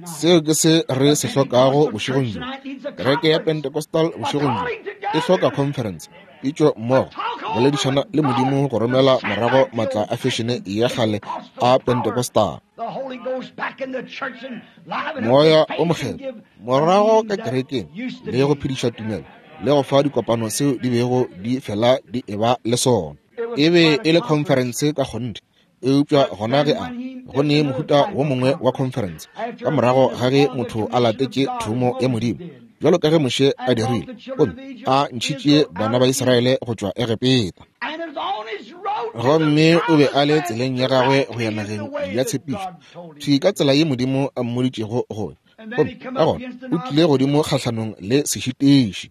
Seo ke se re se hlokago bošegong bjo. Kereke ya Pentecostal bošegong bjo e hloka conference, pitšo mmogo, boledišana le Modimo go romela morago maatla a fešene ya kgale a Pentecostal. Moya o Mokgethwa morago ka kerekeng le go phediša tumelo le go fa dikopano seo di bego di fela di eba le sona. E be e le conference ka kgonthe, eupša gona ge a go ne mohuta wo mongwe wa conference ka morago ga ge motho a latetše thomo ya Modimo, bjalo ka ge Moshe a dirile, gomme a ntšhitše bana ba Israele go tšwa Egepeta. Gomme o be a le tseleng ya gagwe go ya nageng ya tshepišo, thwi ka tsela ye Modimo a mmoditšego go. Gomme ka gona o tlile godimo kgahlanong le sešitiši.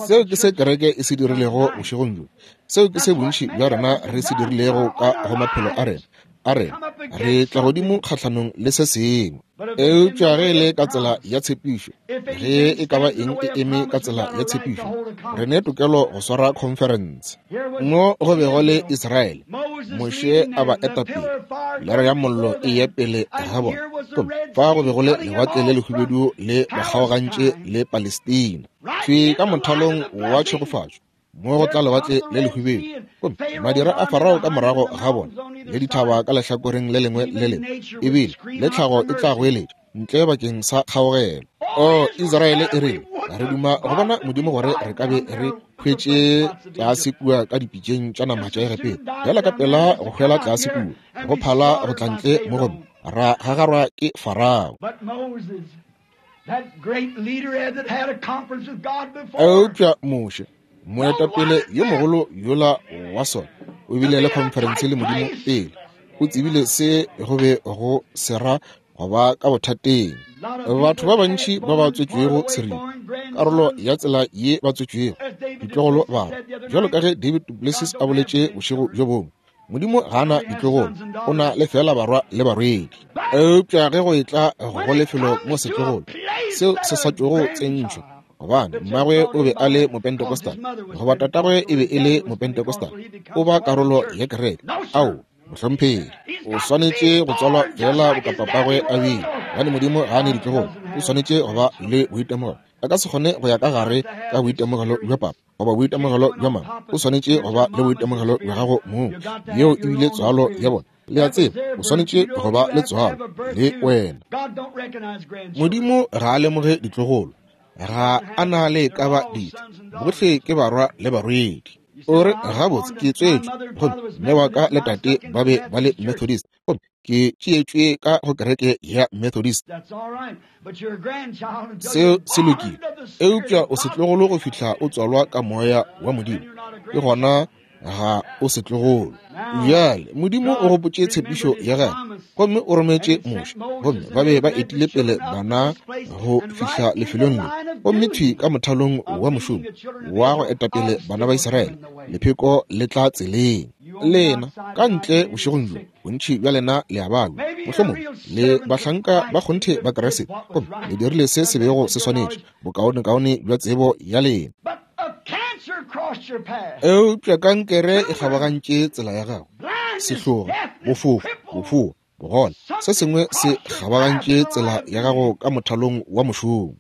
Seo ke se kereke e se dirilego bošegong bjo. Seo ke se bontši bja rena re se dirilego ka go maphelo a rena. A rena re tla godimo kgahlanong le se sengwe. Eupša ge e le ka tsela ya tshepišo, ge e ka ba eng e eme ka tsela ya tshepišo, re ne tokelo go swara khonferense. Mo go be go le Israele, Moshe a ba eta pele, lere ya mollo e ye pele ga bona. Gomme fa go be go le Lewatle le Lehubedu le ba kgaogantše le Palestina. Thwi ka mothalong wa tšhegofatšo, mo go tla Lewatle le Lehubedu, gomme madira a Farao ka morago ga bona, le dithaba ka lehlakoreng le lengwe le lengwe, ebile le tlhago e tla goeletša ntle bakeng sa kgaogelo. O Israele e rile, re duma go bona Modimo gore re ka be re hwetše tlase kua ka dipitšeng tša nama tša Egepeta, bjala ka pela go hwela tlase kua, go phala go tla ntle mo gomme ra gagarwa ke Farao. Eupša Moshe, moetapele yo mogolo yola wa sona, o bile le khonferense le Modimo pele. O tsebile se go be go se ra go ba ka bothateng. Batho ba bantši ba ba tswetšwego seripa, karolo ya tsela ye ba tswetšwego, ditlogolo barwa, bjalo ka ge David duPlessis a boletše bošego bjo bongwe, Modimo ga a na ditlogolo, o na le fela barwa le barwedi. Eupša ge go etla go lefelo mo setlogolo seo se sa tšogo tsentšhwa, gobane mmagwe o be a le Mopentecostal goba tatagwe e be e le Mopentecostal, o ba karolo ya kereke. Ao, mohlomphegi, o swanetše go tswalwa fela boka papagwe a bile, gobane Modimo ga a ne ditlogolo. O swanetše go ba le boitemogelo. A ka se kgone go ya ka gare ka boitemogelo bja papa goba boitemogelo bja mama. O swanetše go ba le boitemogelo bja gago mong. Yeo e bile tswalo ya bona. Le a tseba, o swanetše go ba le tswalo le wena. Modimo ga a lemoge ditlogolo, ga a na le ka ba dife. Bohle ke barwa le barwedi. O re, gabotse, ke tswetšwe, gomme mme wa ka le tate ba be ba le Methodist, gomme ke tšeetšwe ka go kereke ya Methodist. Seo se lokile, eupša o setlogolo go fihla o tswalwa ka Moya wa Modimo, ke gona ga o setlogolo. Bjale Modimo o gopotše tshepišo ya gagwe gomme o rometše Moshe, gomme ba be ba etile pele bana go fihla lefelong le, gomme thwi ka mothalong wa mošomo wa go eta pele bana ba Israele, lepheko le tla tseleng. Lena ka ntle bošegong bjo, bontši bja lena le a balwa, mohlomongwe le bahlanka ba kgonthe ba Kriste, gomme le dirile se se bego se swanetše, bokaonekaone bja tsebo ya lena. Eupša kankere e kgabagantše tsela ya gago, sehloga, bofofu, bofoa, bogole, se sengwe se kgabagantše tsela ya gago ka mothalong wa mošomo.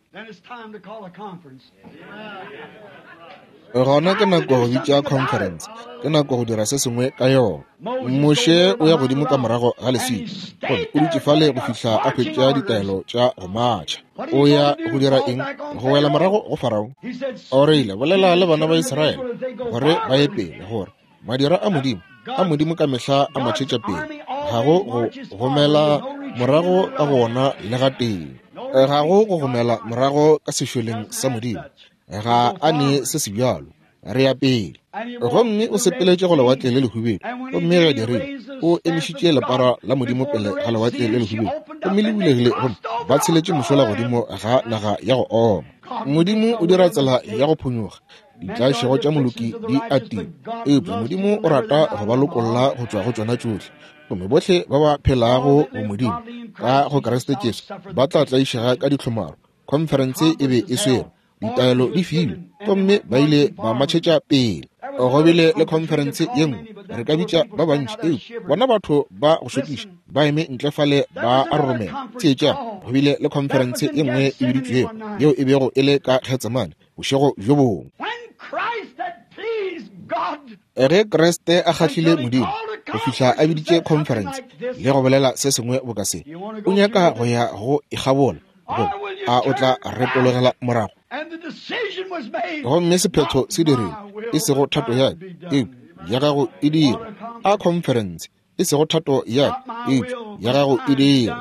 Gona ke nako go bitša conference, ke nako go dira se sengwe ka yona. Moshe o ya godimo ka morago ga leswika, gomme o dutše fale go fihla a hwetša ditaelo tša go matšha. O ya go dira eng? Go wela morago go Farao. O rile, bolela le bana ba Israele gore ba ye pele, gore madira a Modimo, a Modimo ka mehla a matšhetša pele, ga go go gomela morago ka go ona le gatee. Ga go go gomela morago ka sešoleng sa Modimo. Ga a ne se se bjalo. Re ya pele. Gomme o sepeletše go Lewatle le Lehubedu, gomme ge a dirile, o emišitše lepara la Modimo pele ga Lewatle le Lehubedu, gomme le bulegile, gomme ba tsheletše mošola godimo ga naga ya go oma. Modimo o dira tsela ya go phonyokga. Ditlaišego tša moloki di atile, eupša Modimo o rata go ba lokolla go tšwa go tšona tšohle. Gomme bohle ba ba phelago go Modimo ka go Kriste Jesu ba tla tlaišega ka dihlomaro. Khonferense e be e swerwe, ditaelo di filwe, gomme ba ile ba matšhetša pele. Go bile le khonferense ye nngwe, re ka bitša ba bantši, eupša bona batho ba go šokiša ba eme ntle fale ba a roromela. Theetšang, go bile le khonferense ye nngwe e biditšwego yeo e bego e le ka Getsemane bošego bjo bongwe. Ge Kriste a kgahlile Modimo go fihla a biditše khonferense le go bolela se sengwe boka se, o nyaka go ya go ikgabola, goba a o tla retologela morago? Gomme sephetho se dirile, e sego thato ya ka, eupša ya gago e dirwe. A khonferense, e sego thato ya ka, eupša ya gago e dirwe.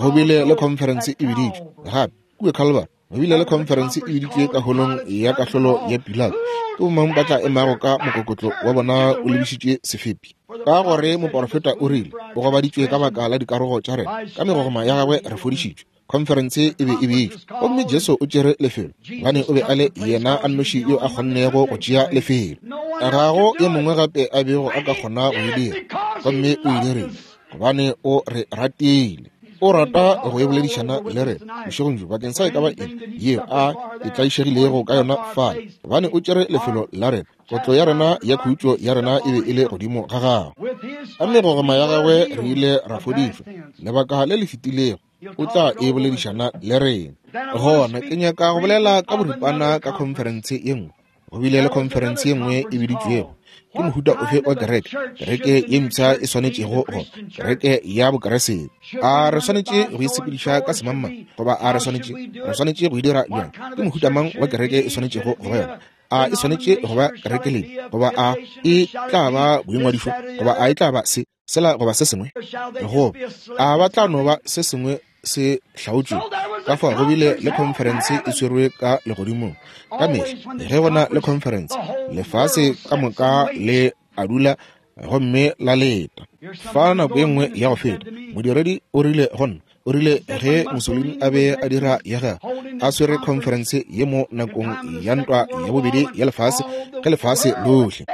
Go bile le khonferense e biditšwe gape kua Calvary. Go bile le khonferense e biditšwe ka holong ya kahlolo ya Pilato. Ke bomang ba tla emago ka mokokotlo wa bona o lebišitše sefepi? Ka gore moporofeta o rile, o gobaditšwe ka baka la dikarogo tša rena, ka megogoma ya gagwe re fodišitšwe. Khonferense e be e bitšwa, gomme Jesu o tšere lefelo, gobane o be a le yena a nnoši yo a kgonnego go tšea lefelo. Ga go yo mongwe gape a bego a ka kgona go e dira, gomme o e dirile gobane o re ratile. O rata go e boledišana le rena bošegong bjo bakeng sa e ka ba eng yeo a e tlaišegilego ka yona fale, gobane o tšere lefelo la rena. Kotlo ya rena ya khutšo ya rena e be e le godimo ga gagwe. Ka megogoma ya gagwe re ile ra fodišwa. Lebaka le le fetilego o tla e boledišana le rena. Gona ke nyaka go bolela ka boripana ka khonferense ye nngwe. Go bile le khonferense ye nngwe e biditšwego ke mohuta ofe wa kereke, kereke ye mpsha e swanetšego go kereke ya Bokeresete. A re swanetše go e sepediša ka semangmang, goba a re swanetše re swanetše go e dira bjang? Ke mohuta mang wa kereke e swanetšego go ba yona? A e swanetše go ba kerekeleng, goba a e tla ba boingwadišo, goba a e tla ba se, sela goba se sengwe, goba a ba tla no ba se sengwe se hlaotšwe? Ka fao go bile le khonferense e swerwe ka legodimong. Ka mehla ge go na le khonferense, lefase ka moka le a dula gomme la leta. Fa nako ye nngwe ya go feta, modiredi o rile go nna, o rile ge Mussolini a be a dira ya gagwe, a swere khonferense ye mo nakong ya ntwa ya bobedi ya lefase, ge lefase lohle,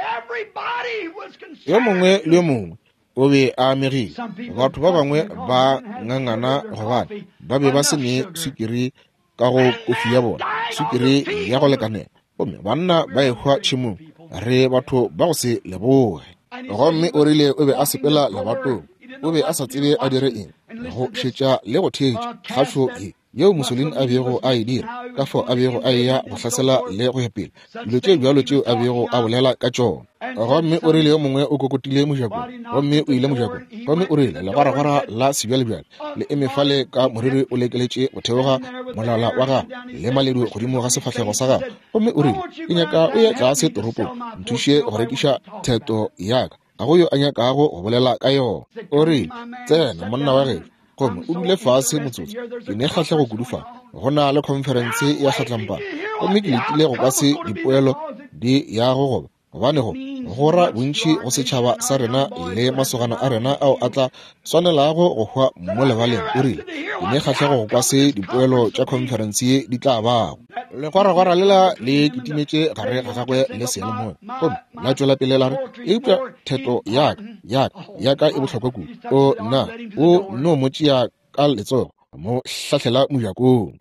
yo mongwe le yo mongwe o be a amegile. Batho ba bangwe ba ngangana gobane ba be ba se ne swikiri ka go kofi ya bona, swikiri ya go lekanela, gomme banna ba ehwa tšhemong. Re batho ba go se leboge. Gomme o rile o be a sepela lebatong, o be a sa tsebe a dire eng, go šetša le go theetša kgašo ye yeo Mussolini a bego a e dira, ka fao a bego a eya go hlasela le go ya pele, dilo tše bjalo tšeo a bego a bolela ka tšona. Gomme o rile yo mongwe o kokotile mojakong, gomme o ile mojakong, gomme o rile legwaragwara la sebjalebjale le eme fale ka moriri o lekeletše go theoga molala wa gagwe le maledu godimo ga sefahlego sa gagwe, gomme o rile, ke nyaka o ye tlase toropong, nthuše go rekiša theto ya ka, ga go yo a nyakago go bolela ka yona. O rile, tsena monna wa gešo, gomme o dule fase motsotso, ke ne kgahlego kudu fa, go na le khonferense ya kgatlampana, gomme ke letile go kwa se dipoelo di yago goba, gobane go go ra bontši go setšhaba sa rena le masogana a rena ao a tla swanelago go hwa mo lebaleng. O rile, ke ne kgahlego go kwa se dipoelo tša khonferense ye di tla bago. Legwaragwara lela le kitimetše gare ga gagwe le seyalemoya, gomme la tšwela pele la re, eupša theto ya ka, ya ka, ya ka e bohlokwa kudu. O nna, o no mo tšea ka letsogo, mo hlahlela mojakong.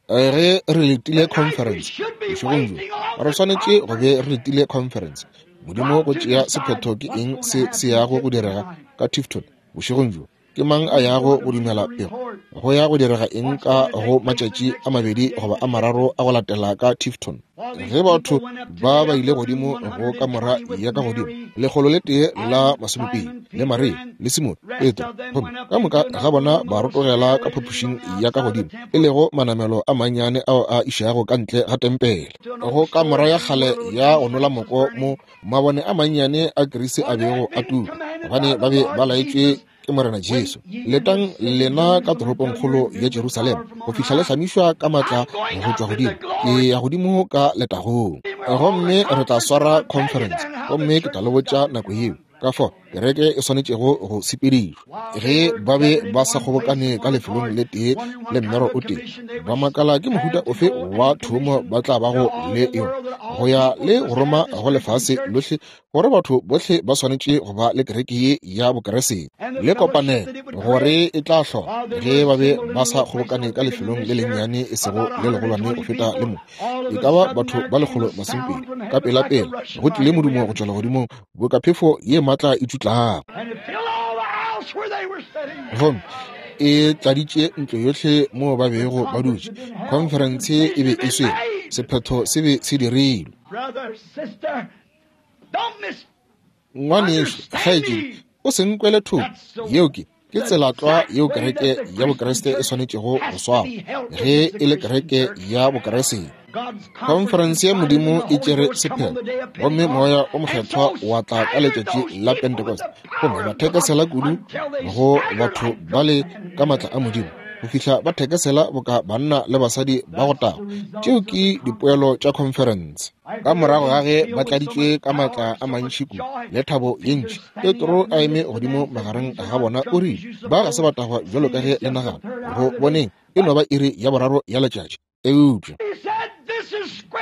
Ge re letile conference bošegong bjo, re swanetše go be re letile conference. Modimo go tšea sephetho ke eng se se yago go direga ka Tifton bošegong bjo. Ke mang a yago go dumela pego? Go ya go direga eng ka go matšatši a mabedi goba a mararo a go latela ka Tifton? Ge batho ba ba ile godimo go kamora ya ka godimo, 120, le Maria le Simone, Petro, gomme ka moka ga bona ba rotogela ka phapošing ya ka godimo, e lego manamelo a mannyane ao a išago ka ntle ga tempele, go kamora ya kgale ya go nola moko mo mabone a mannyane a kirisi a bego a tuka, gobane ba be ba laetšwe ke Morena Jesu. Letang lena ka toropongkgolo ya Jerusalema go fihla le hlamišwa ka matla go tšwa godimo. Ke ya godimo ka letagong, gomme re tla swara conference, gomme ke tla le botša nako yeo ka fao kereke e swanetšego go sepedišwa. Ge ba be ba sa kgobokane ka lefelong le tee le mmero o tee, ba makala ke mohuta ofe wa thomo ba tla bago le yona go ya le go roma go lefase lohle, gore batho bohle ba swanetše go ba le kereke ye ya Bokeresete le kopanelo, gore e tla hlola ge ba be ba sa kgobokane ka lefelong le lennyane e sego le legolwane go feta le mo, e ka ba batho ba 120. Ka pela-pela go tlile modumo go tšwa legodimong boka phefo ye matla e tšutlago, gomme e tladitše ntlo yohle moo ba bego ba dutše. Khonferense e be e swere, sephetho se be se dirilwe. Ngwanešu, kgaetšedi, o se nkwele thoko. Yeo ke, ke tsela tlwa yeo kereke ya Bokriste e swanetšego go swara ge e le kereke ya Bokriste. Khonferense ya Modimo e tšere sephetho, gomme Moya o Mokgethwa wa tla ka letšatši la Pentecost, gomme ba thekesela kudu go batho bale ka matla a Modimo. go fihla ba thekesela boka banna le basadi ba go tago. Tšeo ke dipoelo tša khonferense. Ka morago ga ge ba tladitšwe ka maatla a mantši kudu le thabo ye ntši, Petro a eme godimo magareng ga bona o rile, Ba ga se ba tagwa bjalo ka ge le nagana. Go boneng, e no ba iri ya boraro ya letšatši. Eupša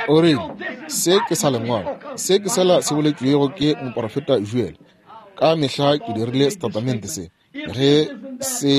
o rile, Se ke sa Lengwalo, se ke sela se boletšwego ke moporofeta Joel. Ka mehla ke dirile setatamente se. Ge se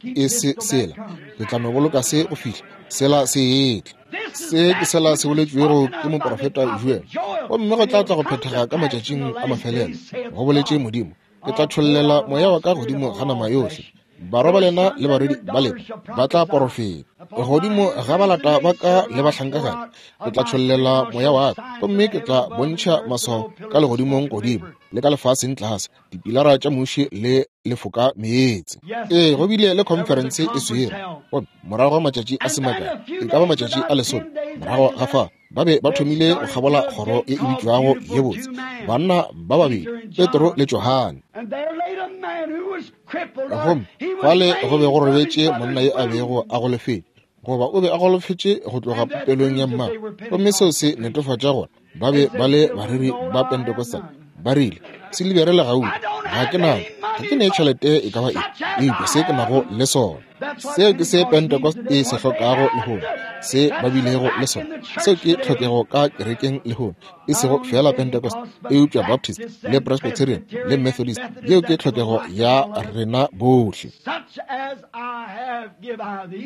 e se sela, ke tla no boloka se go fihla sela se etla. Se ke sela se boletšwego ke moporofeta Joel, gomme go tla tla go phethega ka matšatšing a mafelelo, go boletše Modimo. Ke tla tšhollela moya wa ka godimo ga nama yohle. Barwa ba lena le barwedi ba lena ba tla porofeta. Godimo ga balata ba ka le bahlankagadi ke tla tšhollela moya wa ka, gomme ke tla bontšha maswao ka legodimong godimo le ka lefaseng tlase, dipilara tša muši le lefoka meetse. Ee, go bile le khonferense e swere, gomme morago ga matšatši a se makae, e ka ba matšatši a lesome morago ga fa, ba be ba thomile go kgabola kgoro ye e bitšwago ye botse, banna ba babedi, Petro le Johane. Gomme fale go be go robetše monna yo a bego a golofetše, goba o be a golofetše go tloga popelong ya mmagwe, gomme seo se netefatša gore ba be ba le bareri ba Pentecostal. Ba rile, Silibere le gauta ga ke nayo, ga ke ne tšhelete e ka ba eng, eupša se ke nago le sona. Seo ke se Pentecost e se hlokago lehono, se ba bilego le sona. Seo ke tlhokego ka kerekeng lehono, e sego feela Pentecost, eupša Baptist le Presbyterian le Methodist. Yeo ke tlhokego ya rena bohle.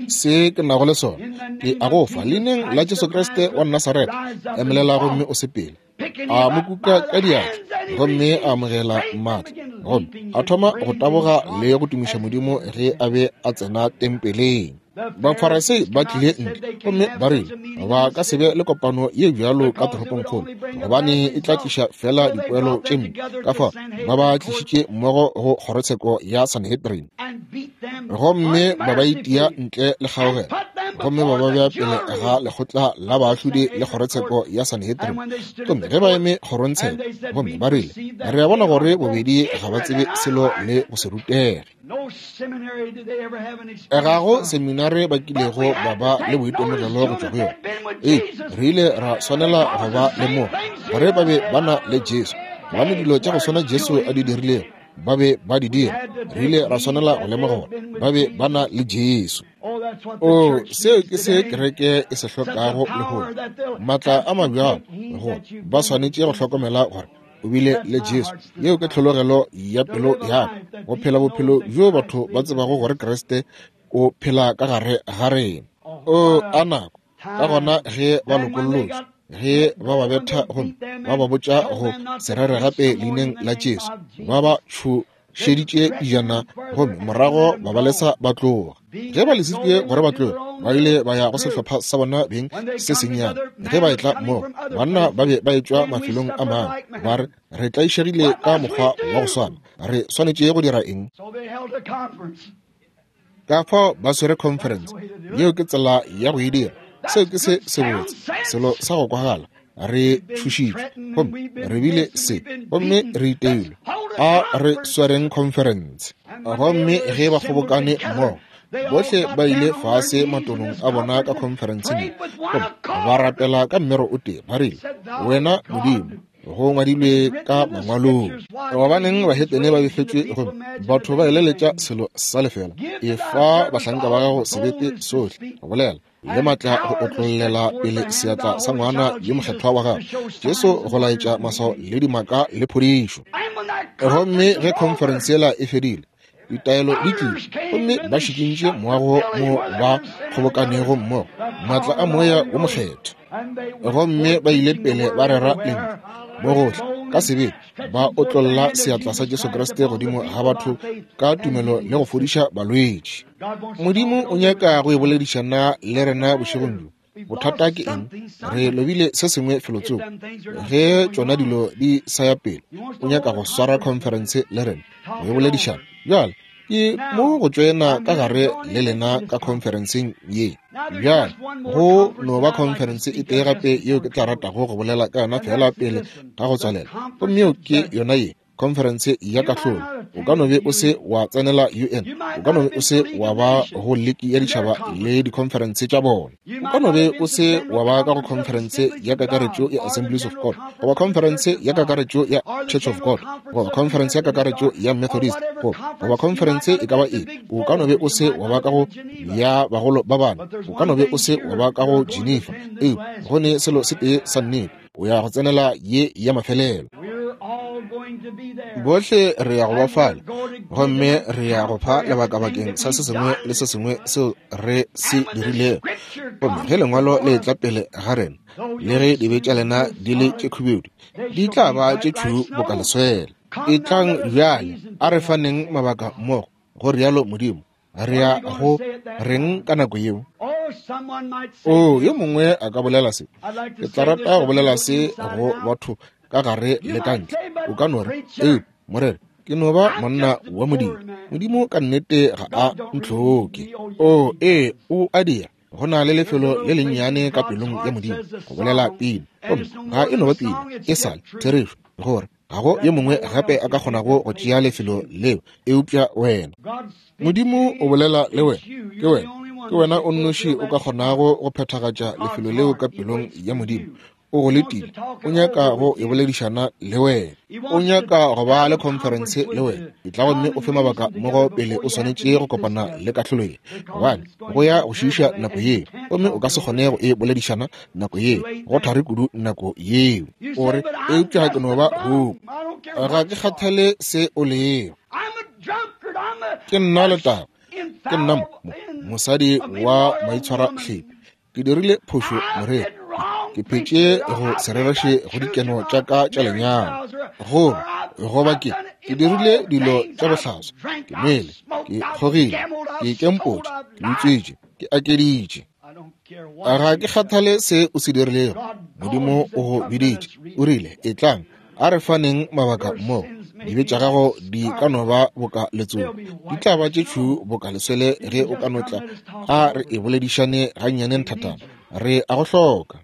Se ke nago le sona ke a go fa, leineng la Jesu Kriste wa Nasaretha, emelela gomme o sepele. A mo kuka ka diatla gomme a amogela maatla, gomme a thoma go taboga le go tumiša Modimo ge a be a tsena tempeleng. Bafarasei ba tlile ntle gomme ba rile ba ka se be le kopano ye bjalo ka toropongkgolo, gobane e tla tliša fela dipoelo tše mpe. Ka fao ba ba tlišitše mmogo go kgorotsheko ya Sanhedrin, gomme ba ba itia ntle le kgaogelo, gomme ba ba bea pele ga lekgotla la baahlodi le kgorotsheko ya Sanhedrin. Gomme ge ba eme kgorongtsheko, gomme ba rile, Re a bona gore bobedi ga ba tsebe selo le go se rutege. Ga go seminare ba kilego ba ba le boitemogelo go tšwa go yona. Ee, re ile ra swanela go ba le mo gore ba be ba na le Jesu, gobane dilo tša go swana Jesu a di dirilego ba be ba di dira. Re ile ra swanela go lemoga gore ba be ba na le Jesu. O, seo ke se kereke e se hlokago lehono, maatla a mabjalo, go ba swanetše go hlokomela gore o bile le Jesu. Yeo ke tlhologelo ya pelo ya ka, go phela bophelo bjo batho ba tsebago gore Kriste o phela ka gare ga rena. O a nako ka gona ge ba lokollotšwe, ge ba ba betha gomme ba ba botša go se rere gape leineng la Jesu, ba ba tšhošeditše pejana gomme morago ba ba lesa ba tloga. Ge ba lesitšwe gore ba tloge, ba ile ba ya go sehlopha sa bona beng se sennyane. Ge ba etla mmogo, banna ba be ba etšwa mafelong a mangwe, ba re, Re tlaišegile ka mokgwa wa go swana. Re swanetše go dira eng? Ka fao ba swere conference. Yeo ke tsela ya go e dira. Seo ke se sebotse, selo sa go kwagala. Re tšhošitšwe, gomme re bile se, gomme re iteilwe. A re swereng conference. Gomme ge ba kgobokane mmogo, bohle ba ile fase matolong a bona ka conferenceng ye, gomme ba rapela ka mmero o tee, ba rile, Wena Modimo, go ngwadilwe ka mangwalong. Gobaneng bahetene ba befetšwe gomme batho ba eleletša selo sa lefela? Efa bahlanka ba gago sebete sohle go bolela le matla go otlollela pele seatla sa ngwana yo mokgethwa wa gago Jesu go laetša maswao le dimaka le phodišo. Gomme ge khonferense yela e fedile, ditaelo di tlile, gomme ba šikintše moago mo ba kgobokanego mmogo, maatla a Moya wo Mokgethwa. Gomme ba ile pele ba rera lentšu mo gohle ka sebete, ba otlolla seatla sa Jesu Kriste godimo ga batho ka tumelo le go fodiša balwetši. Modimo o nyaka go e boledišana le rena bošegong bjo. Bothata ke eng? Re lobile se sengwe felotsoko. Ge tšona dilo di sa ya pele, o nyaka go swara khonferense le rena go e boledišana. Bjale ke mo go tšoena ka gare le lena ka khonferenseng ye. Bjale go no ba khonferense e tee gape yeo ke tla ratago go bolela ka yona feela pele ga go tswalela, gomme yeo ke yona ye. Khonferense ya Kahlolo. O ka no be o se wa tsenela UN. O ka no be o se wa ba go Liki ya Ditšhaba le dikhonferense tša bona. O ka no be o se wa ba ka go khonferense ya kakaretšo ya Assemblies of God, goba khonferense ya kakaretšo ya Church of God, goba khonferense ya kakaretšo ya Methodist, goba khonferense e ka ba eng. O ka no be o se wa ba ka go ya bagolo ba bane. O ka no be o se wa ba ka go Geneva. Eupša go ne selo se tee sa nnete, o ya go tsenela ye ya mafelelo. Bohle re ya go ba fale, gomme re ya go fa lebaka bakeng sa se sengwe le se sengwe seo re se dirilego. Gomme ge lengwalo le etla pele ga rena, le ge dibe tša lena di le tše khubedu, di tla ba tše tšhweu boka leswele. Etlang bjale, a re faneng mabaka mmogo, go rialo Modimo. Re ya go reng ka nako yeo? Oo, yo mongwe a ka bolela se. Ke tla rata go bolela se go batho ka gare le ka ntle. O ka no re, Ee, morena, ke no ba monna wa Modimo. Modimo ka nnete ga a ntlhoke. Oo, ee, o a dira. Go na le lefelo le lennyane ka pelong ya Modimo go bolela pina. Gomme ga e no ba pina, e sa le therešo gore ga go yo mongwe gape a ka kgonago go tšea lefelo leo eupša wena. Modimo o bolela le wena, ke wena, ke wena o nnoši o ka kgonago go phethagatša lefelo leo ka pelong ya Modimo. O go letile, o nyaka go e boledišana le wena, o nyaka go ba le khonferense le wena. Etla gomme o fe mabaka mmogo pele o swanetše go kopana le kahlolo ye, gobane go ya go šiiša nako yeo, gomme o ka se kgone go e boledišana nako yeo, go thari kudu nako yeo. O re, Eupša ke no ba huku, ga ke kgathale se o lego. Ke nna letaba, ke nna mosadi wa maitshwarahlepi. Ke dirile phošo moreri, ke phetše go se rereše go dikeno tša ka tša lenyalo, goba goba ke ke dirile dilo tša bohlaswa, ke nwele, ke kgogile, ke ikempotše, ke utswitše, ke akeditše. Ga ke kgathale se o se dirilego, Modimo o go biditše, o rile, Etlang, a re faneng mabaka mmogo. Dibe tša gago di ka no ba boka letsogo, di tla ba tše tšhuu boka leswele ge o ka no tla. A re e boledišane gannyane nthatana, re a go hloka.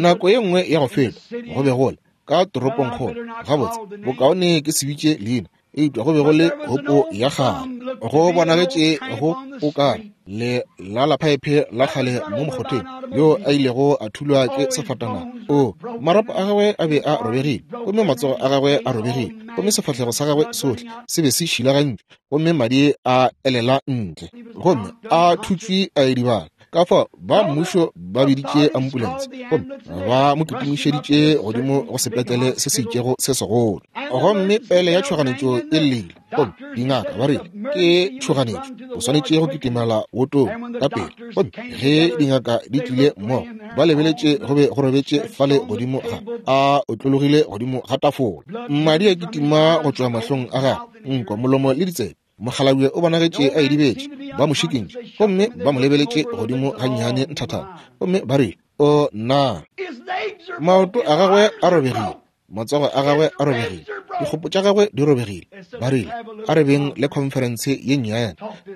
Nako ye nngwe ya go feta go be go le ka toropongkgolo, gabotse bokaone ke se bitše leina, eupša go be go le hopo ya kgale. Go bonagetše go o ka le la la phaephe la kgale mo mokgotheng, yo a ilego a thulwa ke sefatanaga. O, marapo a gagwe a be a robegile, gomme matsogo a gagwe a robegile, gomme sefahlego sa gagwe sohle se be se šilagantšwe, gomme madi a elela ntle, gomme a thutšwe a edibala. Ka fao ba mmušo ba biditše ambulense gomme ba mo kitimišeditše godimo go sepetlele se se itšego se segolo. Gomme pele ya tšhoganetšo e llile, gomme dingaka ba rile ke tšhoganetšo, o swanetše go kitimela wotong ka pele. Gomme ge dingaka di tlile mmogo, ba lebeletše go be go robetše fale godimo ga a otlologile godimo ga tafola, madi a kitima go tšwa mahlong a gagwe, nko, molomo le ditsebe. Mokgalabje o bonagetše a idibetše, ba mo šikintše gomme ba mo lebeletše godimo gannyane nthathana, gomme ba rile, O nna! Maoto a gagwe a robegile, matsogo a gagwe a robegile, dikgopo tša gagwe di robegile. Ba rile, A re beng le khonferense ye nnyane,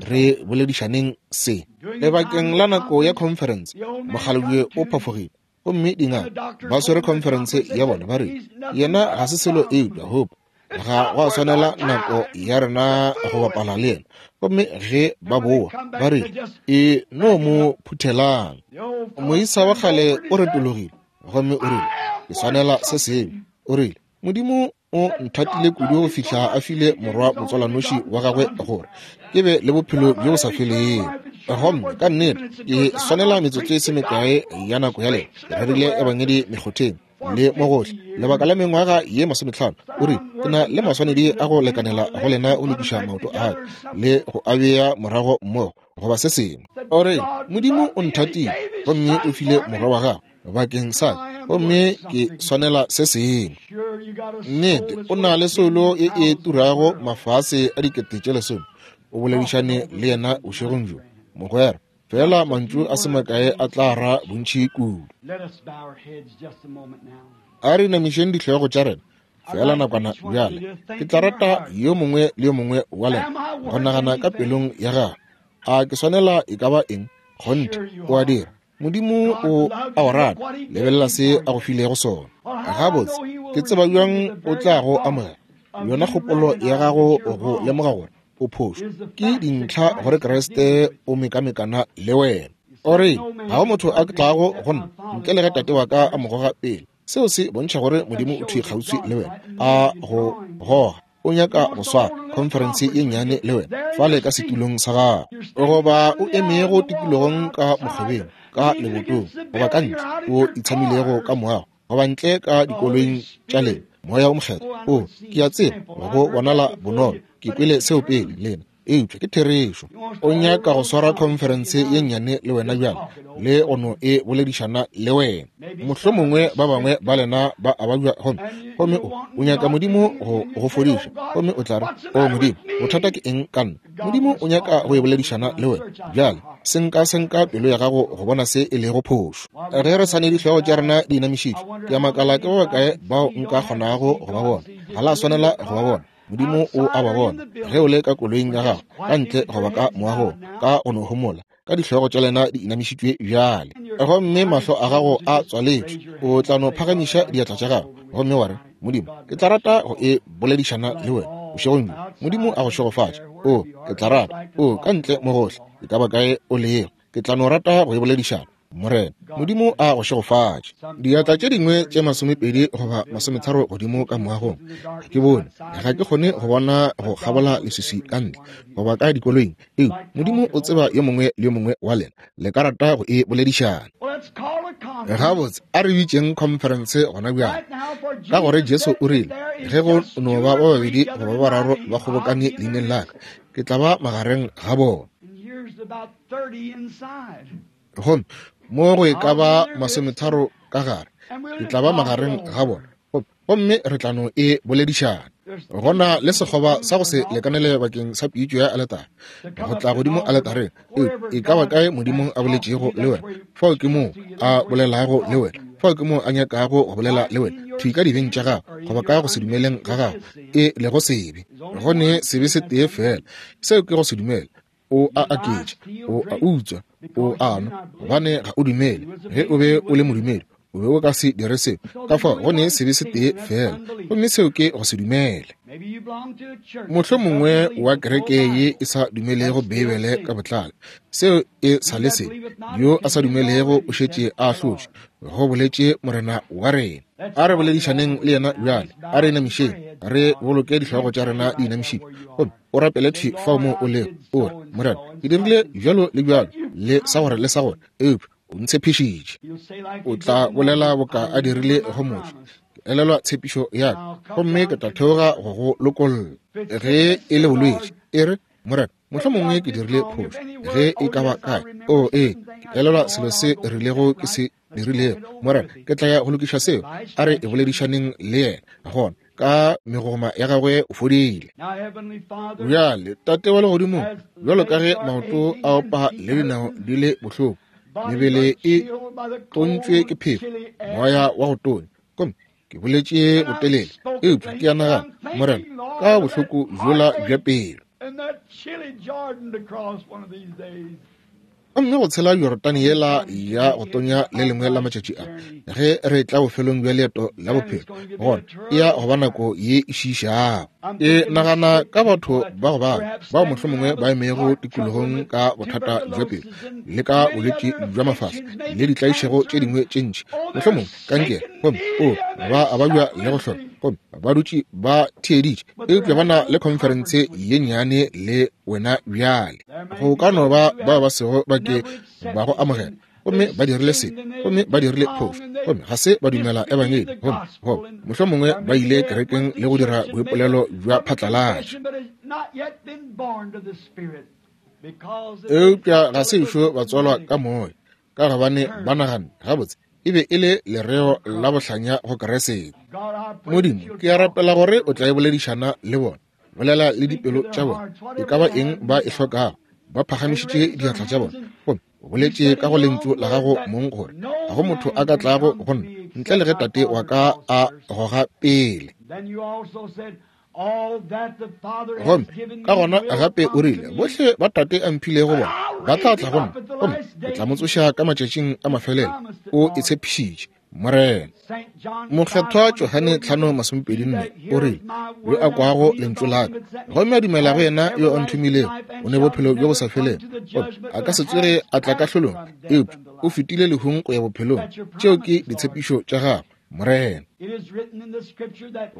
re boledišaneng se. Lebakeng la nako ya khonferense, mokgalabje o phafogile gomme dingaka ba swere khonferense ya bona, ba rile, Yena ga se selo eupša hope. Ga go a swanela nako ya rena go bapala le yena. Gomme ge ba boa, ba rile, E no mo phuthelang. Moisa wa kgale o retologile gomme o rile, Ke swanela se sengwe. O rile, Modimo o nthatile kudu go fihla a file morwa motswalanoši wa gagwe gore ke be le bophelo bjo bo sa felego. Gomme ka nnete ke swanela metsotso e se mekae ya nako ya lena. Ke rerile ebangedi mekgotheng le mo gohle lebaka la mengwaga ye masometlhano. O rile, Ke na le maswanedi a go lekanela go lena go lokiša maoto a ka le go a bea morago mmogo, goba se sengwe. O rile, Modimo o nthatile gomme o file morwa wa gagwe bakeng sa ka, gomme ke swanela se sengwe. Nnete, o na le soulo ye e turago mafase a 10,000. O boledišane le yena bošegong bjo, mogwera. Fela mantšu a se makae a tla ra bontši kudu. A re inamišeng dihlogo tša rena fela nakwana bjale. Ke tla rata yo mongwe le yo mongwe wa lena go nagana ka pelong ya gagwe, a ke swanela e ka ba eng? Kgonthe, o a dira. Modimo o a o rata. Lebelela se a go filego sona. Gabotse, Ke tseba bjang o tla go amogela? Yona kgopolo ya gago go lemoga gore o phošo ke dintlha gore Kriste o mekamekana le wena. O re, ga go motho a tlago go nna ntle le ge Tate wa ka a mo goga pele. Seo se bontšha gore Modimo o thwi kgauswi le wena, a go goga. O nyaka go swara khonferense ye nnyane le wena fale ka setulong sa gago, goba o emego tikologong ka mokgobeng, ka lebotong, goba ka ntle o itshamilego ka moago, goba ntle ka dikoloing tša lena. Moya o Mokgethwa, o, ke a tseba go bonala bonolo, ke kwele seo pele lena, eupša ke therešo. O nyaka go swara khonferense ye nnyane le wena bjale, le go no e boledišana le wena. Mohlomongwe ba bangwe ba lena ba a babja, gomme, gomme o, o nyaka Modimo go go fodiša, gomme o tla re, O Modimo, bothata ke eng ka nna? Modimo o nyaka go e boledišana le wena bjale. Senka senka pelo ya gago go bona se e lego phošo. Ge re sa ne dihlogo tša rena di inamišitšwe, ke a makala ke ba bakae bao nka kgonago go ba bona. Ga la swanela go ba bona. Modimo o a ba bona. Ge o le ka koloing ya gago, ka ntle goba ka moagong, ka go no homola, ka dihlogo tša lena di inamišitšwe bjale, gomme mahlo a gago a tswaletšwe, o tla no phagamiša diatla tša gago gomme wa re, Modimo, ke tla rata go e boledišana le wena bošegong bjo. Modimo a go šegofatše. O, ke tla rata. O, ka ntle mo gohle, e ka ba kae o lego, ke tla no rata go e boledišana. Morena Modimo a go šegofatše. Diatla tše dingwe tše 20 goba 30 godimo ka moagong, ga ke bone, ga ke kgone go bona go kgabola leswiswi ka ntle goba ka dikoloing, eupša Modimo o tseba yo mongwe le yo mongwe wa lena le ka rata go e boledišana. Gabotse, a re bitšeng khonferense gona bjale, ka gore Jesu o rile, ge go no ba ba babedi goba ba bararo ba kgobokane leineng la ka, ke tla ba magareng ga bona. Gomme mo go e ka ba 30 ka gare, ke tla ba magareng ga bona, gomme re tla no e boledišana. Go na le sekgoba sa go se lekanele bakeng sa pitšo ya aletare go tla godimo aletareng. E ka ba kae Modimo a boletšego le wena, fao ke moo a bolelago le wena, fao ke moo a nyakago go bolela le wena, thwi ka dibeng tša gago goba ka go se dumeleng ga gago, e lego sebe. Go ne sebe se tee feela, seo ke go se dumele. O a aketša, o a utswa, o a nwa, gobane ga o dumele. Ge o be o le modumedi, o be o ka se dire seo. Ka fao go ne sebe se tee feela, gomme seo ke go se dumele. Mohlomongwe wa kereke ye e sa dumelego Beibele ka botlalo, seo e sa le sebe. Yo a sa dumelego o šetše a ahlotšwe, go boletše Morena wa rena. A re boledišaneng le yena bjale, a re inamišeng, re boloke dihlogo tša rena di inamišitšwe, gomme o rapele thwi fao mo o lego, o re, Morena, ke dirile bjalo le bjalo, le sa gore le sa gore, eupša o ntshepišitše. O tla bolela boka a dirile go Moshe, ke elelwa tshepišo ya ka, gomme ke tla theoga go go lokolla. Ge e le bolwetši, e re, Morena, mohlomongwe ke dirile phošo, ge e ka ba kae. O, ee, ke elelwa selo se rilego ke se dirilego. Morena, ke tla ya go lokiša seo. A re e boledišaneng le yena gona. Ka megoma ya gagwe o fodile. Bjale, Tate wa Legodimong, bjalo ka ge maoto a opa le dinao di le bohloko, mebele e tontšwe ke phefo, moya wa go tonya, gomme ke boletše botelele, eupša ke a nagana, Morena, ka bohloko bjola bja pelo, gomme go tshela Jorodane yela ya go tonya le lengwe la matšatši a, ge re tla bofelong bja leeto la bophelo, gona e ya go ba nako ye e šiišago. E nagana ka batho ba go bala bao mohlomongwe ba emego tikologong ka bothata bja pelo le ka bolwetši bja mafahla le ditlaišego tše dingwe tše ntši, mohlomongwe kankere, gomme o ba a babja le go hloka, gomme ba dutše ba theeditše, eupša ba na le khonferense ye nnyane le wena bjale. Go ka no ba bao ba sego ba ke ba go amogela, gomme ba dirile sebe, gomme ba dirile phošo, gomme ga se ba dumela ebangedi, gomme goba mohlomongwe ba ile kerekeng le go dira boipolelo bja phatlalatša, eupša ga se ešo ba tswalwa ka moya, ka gobane ba naganne gabotse e be e le lereo la bohlanya go Keresete. Modimo, ke a rapela gore o tla e boledišana le bona, bolela le dipelo tša bona, e ka ba eng ba e hlokago. Ba phagamišitše diatla tša bona, gomme o boletše ka go lentšu la gago mong gore ga go motho a ka tlago go nna ntle le ge Tate wa ka a goga pele. Gomme ka gona gape o rile, bohle ba Tate a mphilego bona ba tla tla go nna, gomme ke tla mo tsoša ka matšatšing a mafelelo. O e tshepišitše. Morena. Mokgethwa Johane 5:24 o rile, Yo a kwago lentšu la ka gomme a dumela go yena yo a nthomilego, o ne bophelo bjo bo sa felego, gomme a ka se tsoge a tla kahlolong, eupša o fetile lehung go ya bophelong. Tšeo ke ditshepišo tša Gagwe, Morena.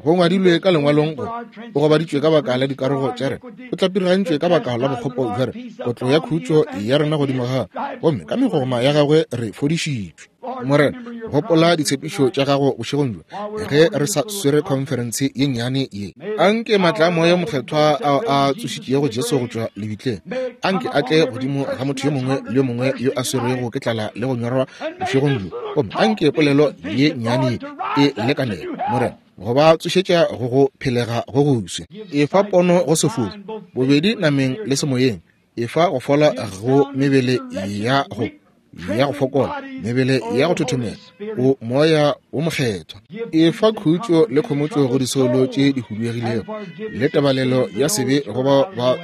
Go ngwadilwe ka lengwalong gore o gobaditšwe ka baka la dikarogo tša rena, o tlapirigantšwe ka baka la bokgopo bja rena, kotlo ya khutšo ya rena godimo ga gagwe, gomme ka megogoma ya gagwe re fodišitšwe. Morena, gopola ditshepišo tša gago bošegong bjo ge re sa swere khonferense ye nnyane ye. Anke maatla a Moya Mokgethwa ao a tsošitšego Jesu go tšwa lebitleng, anke a tle godimo ga motho yo mongwe le yo mongwe yo a swerwego ke tlala le go nyorwa bošegong bjo. Gomme anke polelo ye nnyane ye e lekanelo, Morena, go ba tsošetša go go phelega go goswi. Efa pono go sefofu, bobedi nameng le semoyeng. Efa go fola go mebele ya go ya go fokola, mebele ya go thothomela, o Moya wo Mokgethwa. Efa khutšo le khomotšo go disoulo tše di huduegilego, le tebalelo ya sebe go bao ba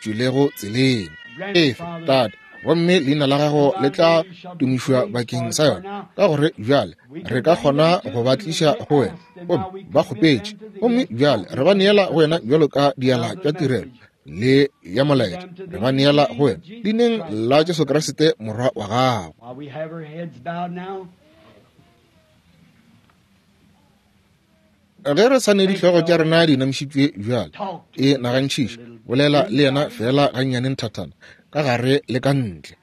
tšwilego tseleng. Efa, Tate, gomme leina la gago le tla tumišwa bakeng sa yona, ka gore bjale re ka kgona go ba tliša go wena. Gomme ba kgopetše, gomme bjale re ba neela go wena bjalo ka diala tša tirelo le ya molaetša, re ba neela go wena leineng la Jesu Kriste Morwa wa gago. Ge re sa ne dihlogo tša rena di inamišitšwe bjale, e nagantšhiše, bolela le yena feela gannyane nthathana, ka gare le ka ntle.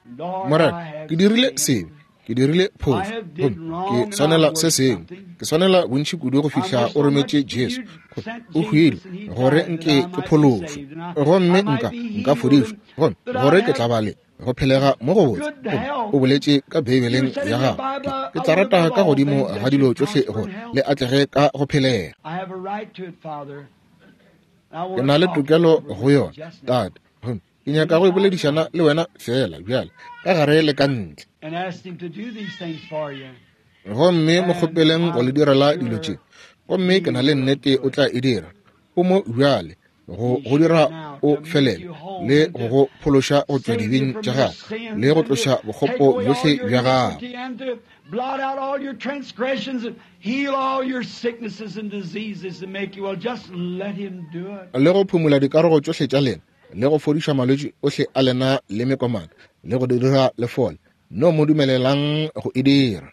Morena, ke dirile sebe, ke dirile phošo, gomme ke swanela se sengwe. Ke swanela bontši kudu go fihla o rometše Jesu, gore o hwile, gore nke ke phološwe, gomme nka, nka fodišwa, gomme gore ke tla ba le go phelega mo go botse. Gomme o boletše ka Beibeleng ya gago, ke tla rata ka godimo ga dilo tšohle gore le atlege ka go phelega. Ke na le tokelo go yona, Tate, gomme ke nyaka go boledišana le wena feela bjale, ka gare le ka ntle. Gomme mo kgopeleng go le direla dilo tše, gomme ke na le nnete o tla e dira. O mo bjale go go dira o felele le go go phološa go tšwa dibeng tša gago le go tloša bokgopo bjohle bja gago. Blot out all your transgressions and heal all your sicknesses and diseases and make you well. Just let him do it. Le go phumola dikarogo tšohle tša lena le go fodiša malwetši ohle a lena le mekomana le go dira le fole. No mo dumelelang go e dira.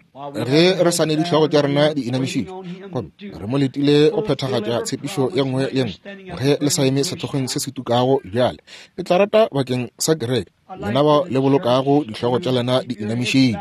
Ge re sa ne dihlogo tša rena di inamišitšwe, gomme re mo letile go phethagatša tshepišo ye nngwe le nngwe, ge le sa eme sehlogeng se se tukago bjale, ke tla rata bakeng sa kereke, lena bao le bolokago dihlogo tša lena di inamišitšwe.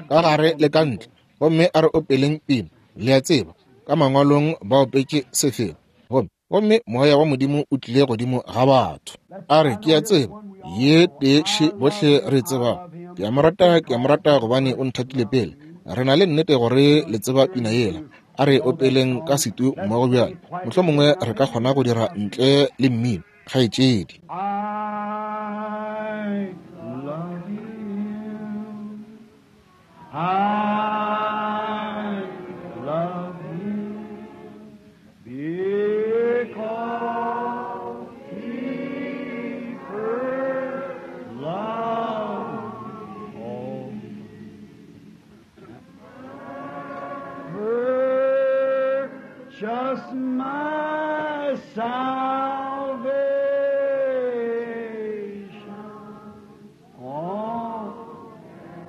Ka gare le ka ntle, gomme a re opeleng pina. Le a tseba, ka mangwalong ba opetše sefela, gomme gomme Moya wa Modimo o tlile godimo ga batho. A re, ke a tseba, ye tee še bohle re tsebago. Ke a mo rata, ke a mo rata gobane o nthatile pele. Re na le nnete gore le tseba pina yela. A re opeleng ka setu mmogo bjale. Mohlomongwe re ka kgona go dira ntle le mmino, kgaetšedi. I love you. I love you because he first loved me. Purchased my salvation. Oh,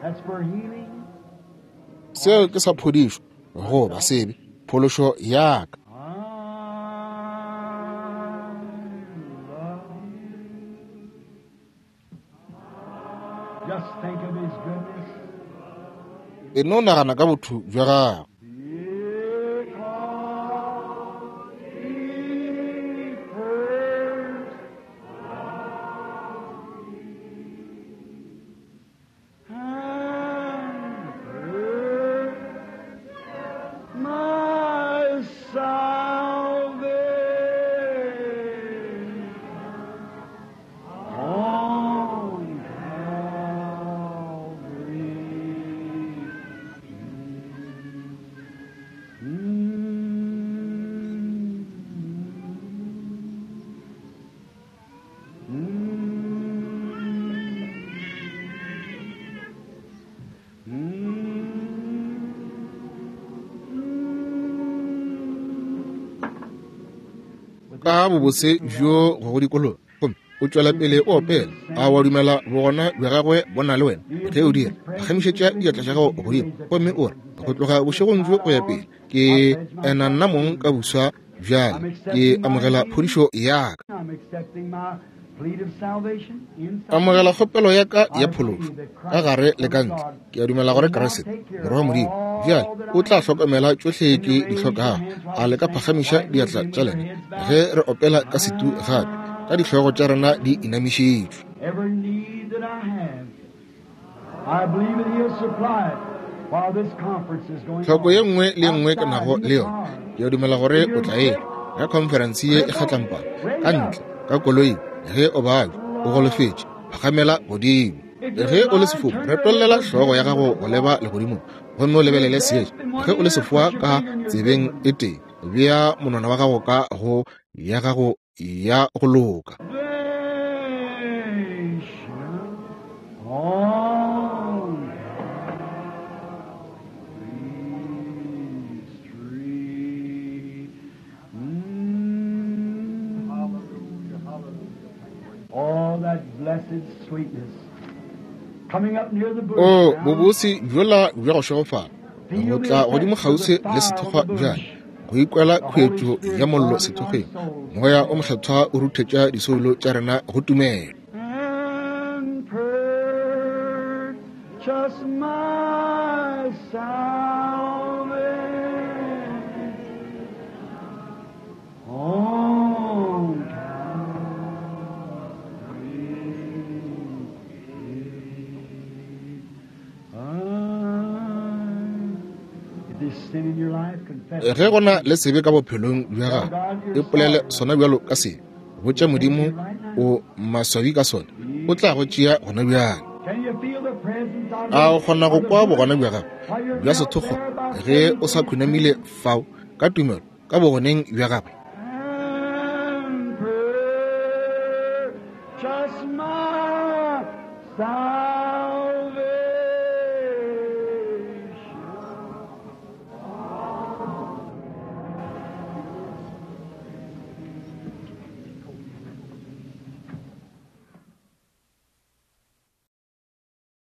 that's for healing. Seo ke sa phodišo goba sebe, phološo ya ka. I love you. Just think of his goodness. E no nagana ka botho bja gagwe. Because he first loved me and purchased my salvation on Calvary. Ka bobose bjo go go dikologa, gomme o tšwela pele o opela. A wa dumela bogona bja gagwe bo na le wena? Ge o dira, phagamišetša diatla tša gago godimo gomme o re, Go tloga bošegong bjo go ya pele, ke ena nna mong ka buswa bjale. Ke amogela phodišo ya ka. Amogela kgopelo ya ka ya phološo, ka gare le ka ntle. Ke a dumela gore Kriste, Morwa wa Modimo, bjale o tla hlokomela tšohle ke di hlokago. A le ka phagamiša diatla tša lena ge re opela ka setu gape, ka dihlogo tša rena di inamišitšwe. Tlhoko ye nngwe le ye nngwe ke nago le yona, ke a dumela gore o tla e ge khonferense ye e kgatlampana, ka ntle, ka koloing, ge o babja, o golofetše, phagamela godimo. Ge o le sefofu, retollela hlogo ya gago go leba legodimong gomme o lebelele seetša. Ge o le sefoa ka tsebeng e tee, bea monwana wa gago ka go ya gago ya go loka. O bobose bjola bja go šegofala, go tla godimo kgauswi le sethokgwa bjale, go ikwela khuetšo ya mollo sethokgweng, Moya o Mokgethwa o ruthetša disoulo tša rena go tumelo. And purchase my salvation on Calvary. If there's sin in your life, confess it. Ge go na le sebe ka bophelong bja gago, ipolele sona bjalo ka sebe. Botša Modimo o maswabi ka sona, o tla go tšea gona bjale. Can you feel the presence of A o kgona go kwa bogona bja gagwe bja sethokgwa ge o sa khunamile fao ka tumelo ka bogoneng bja gagwe? And purchase my salvation.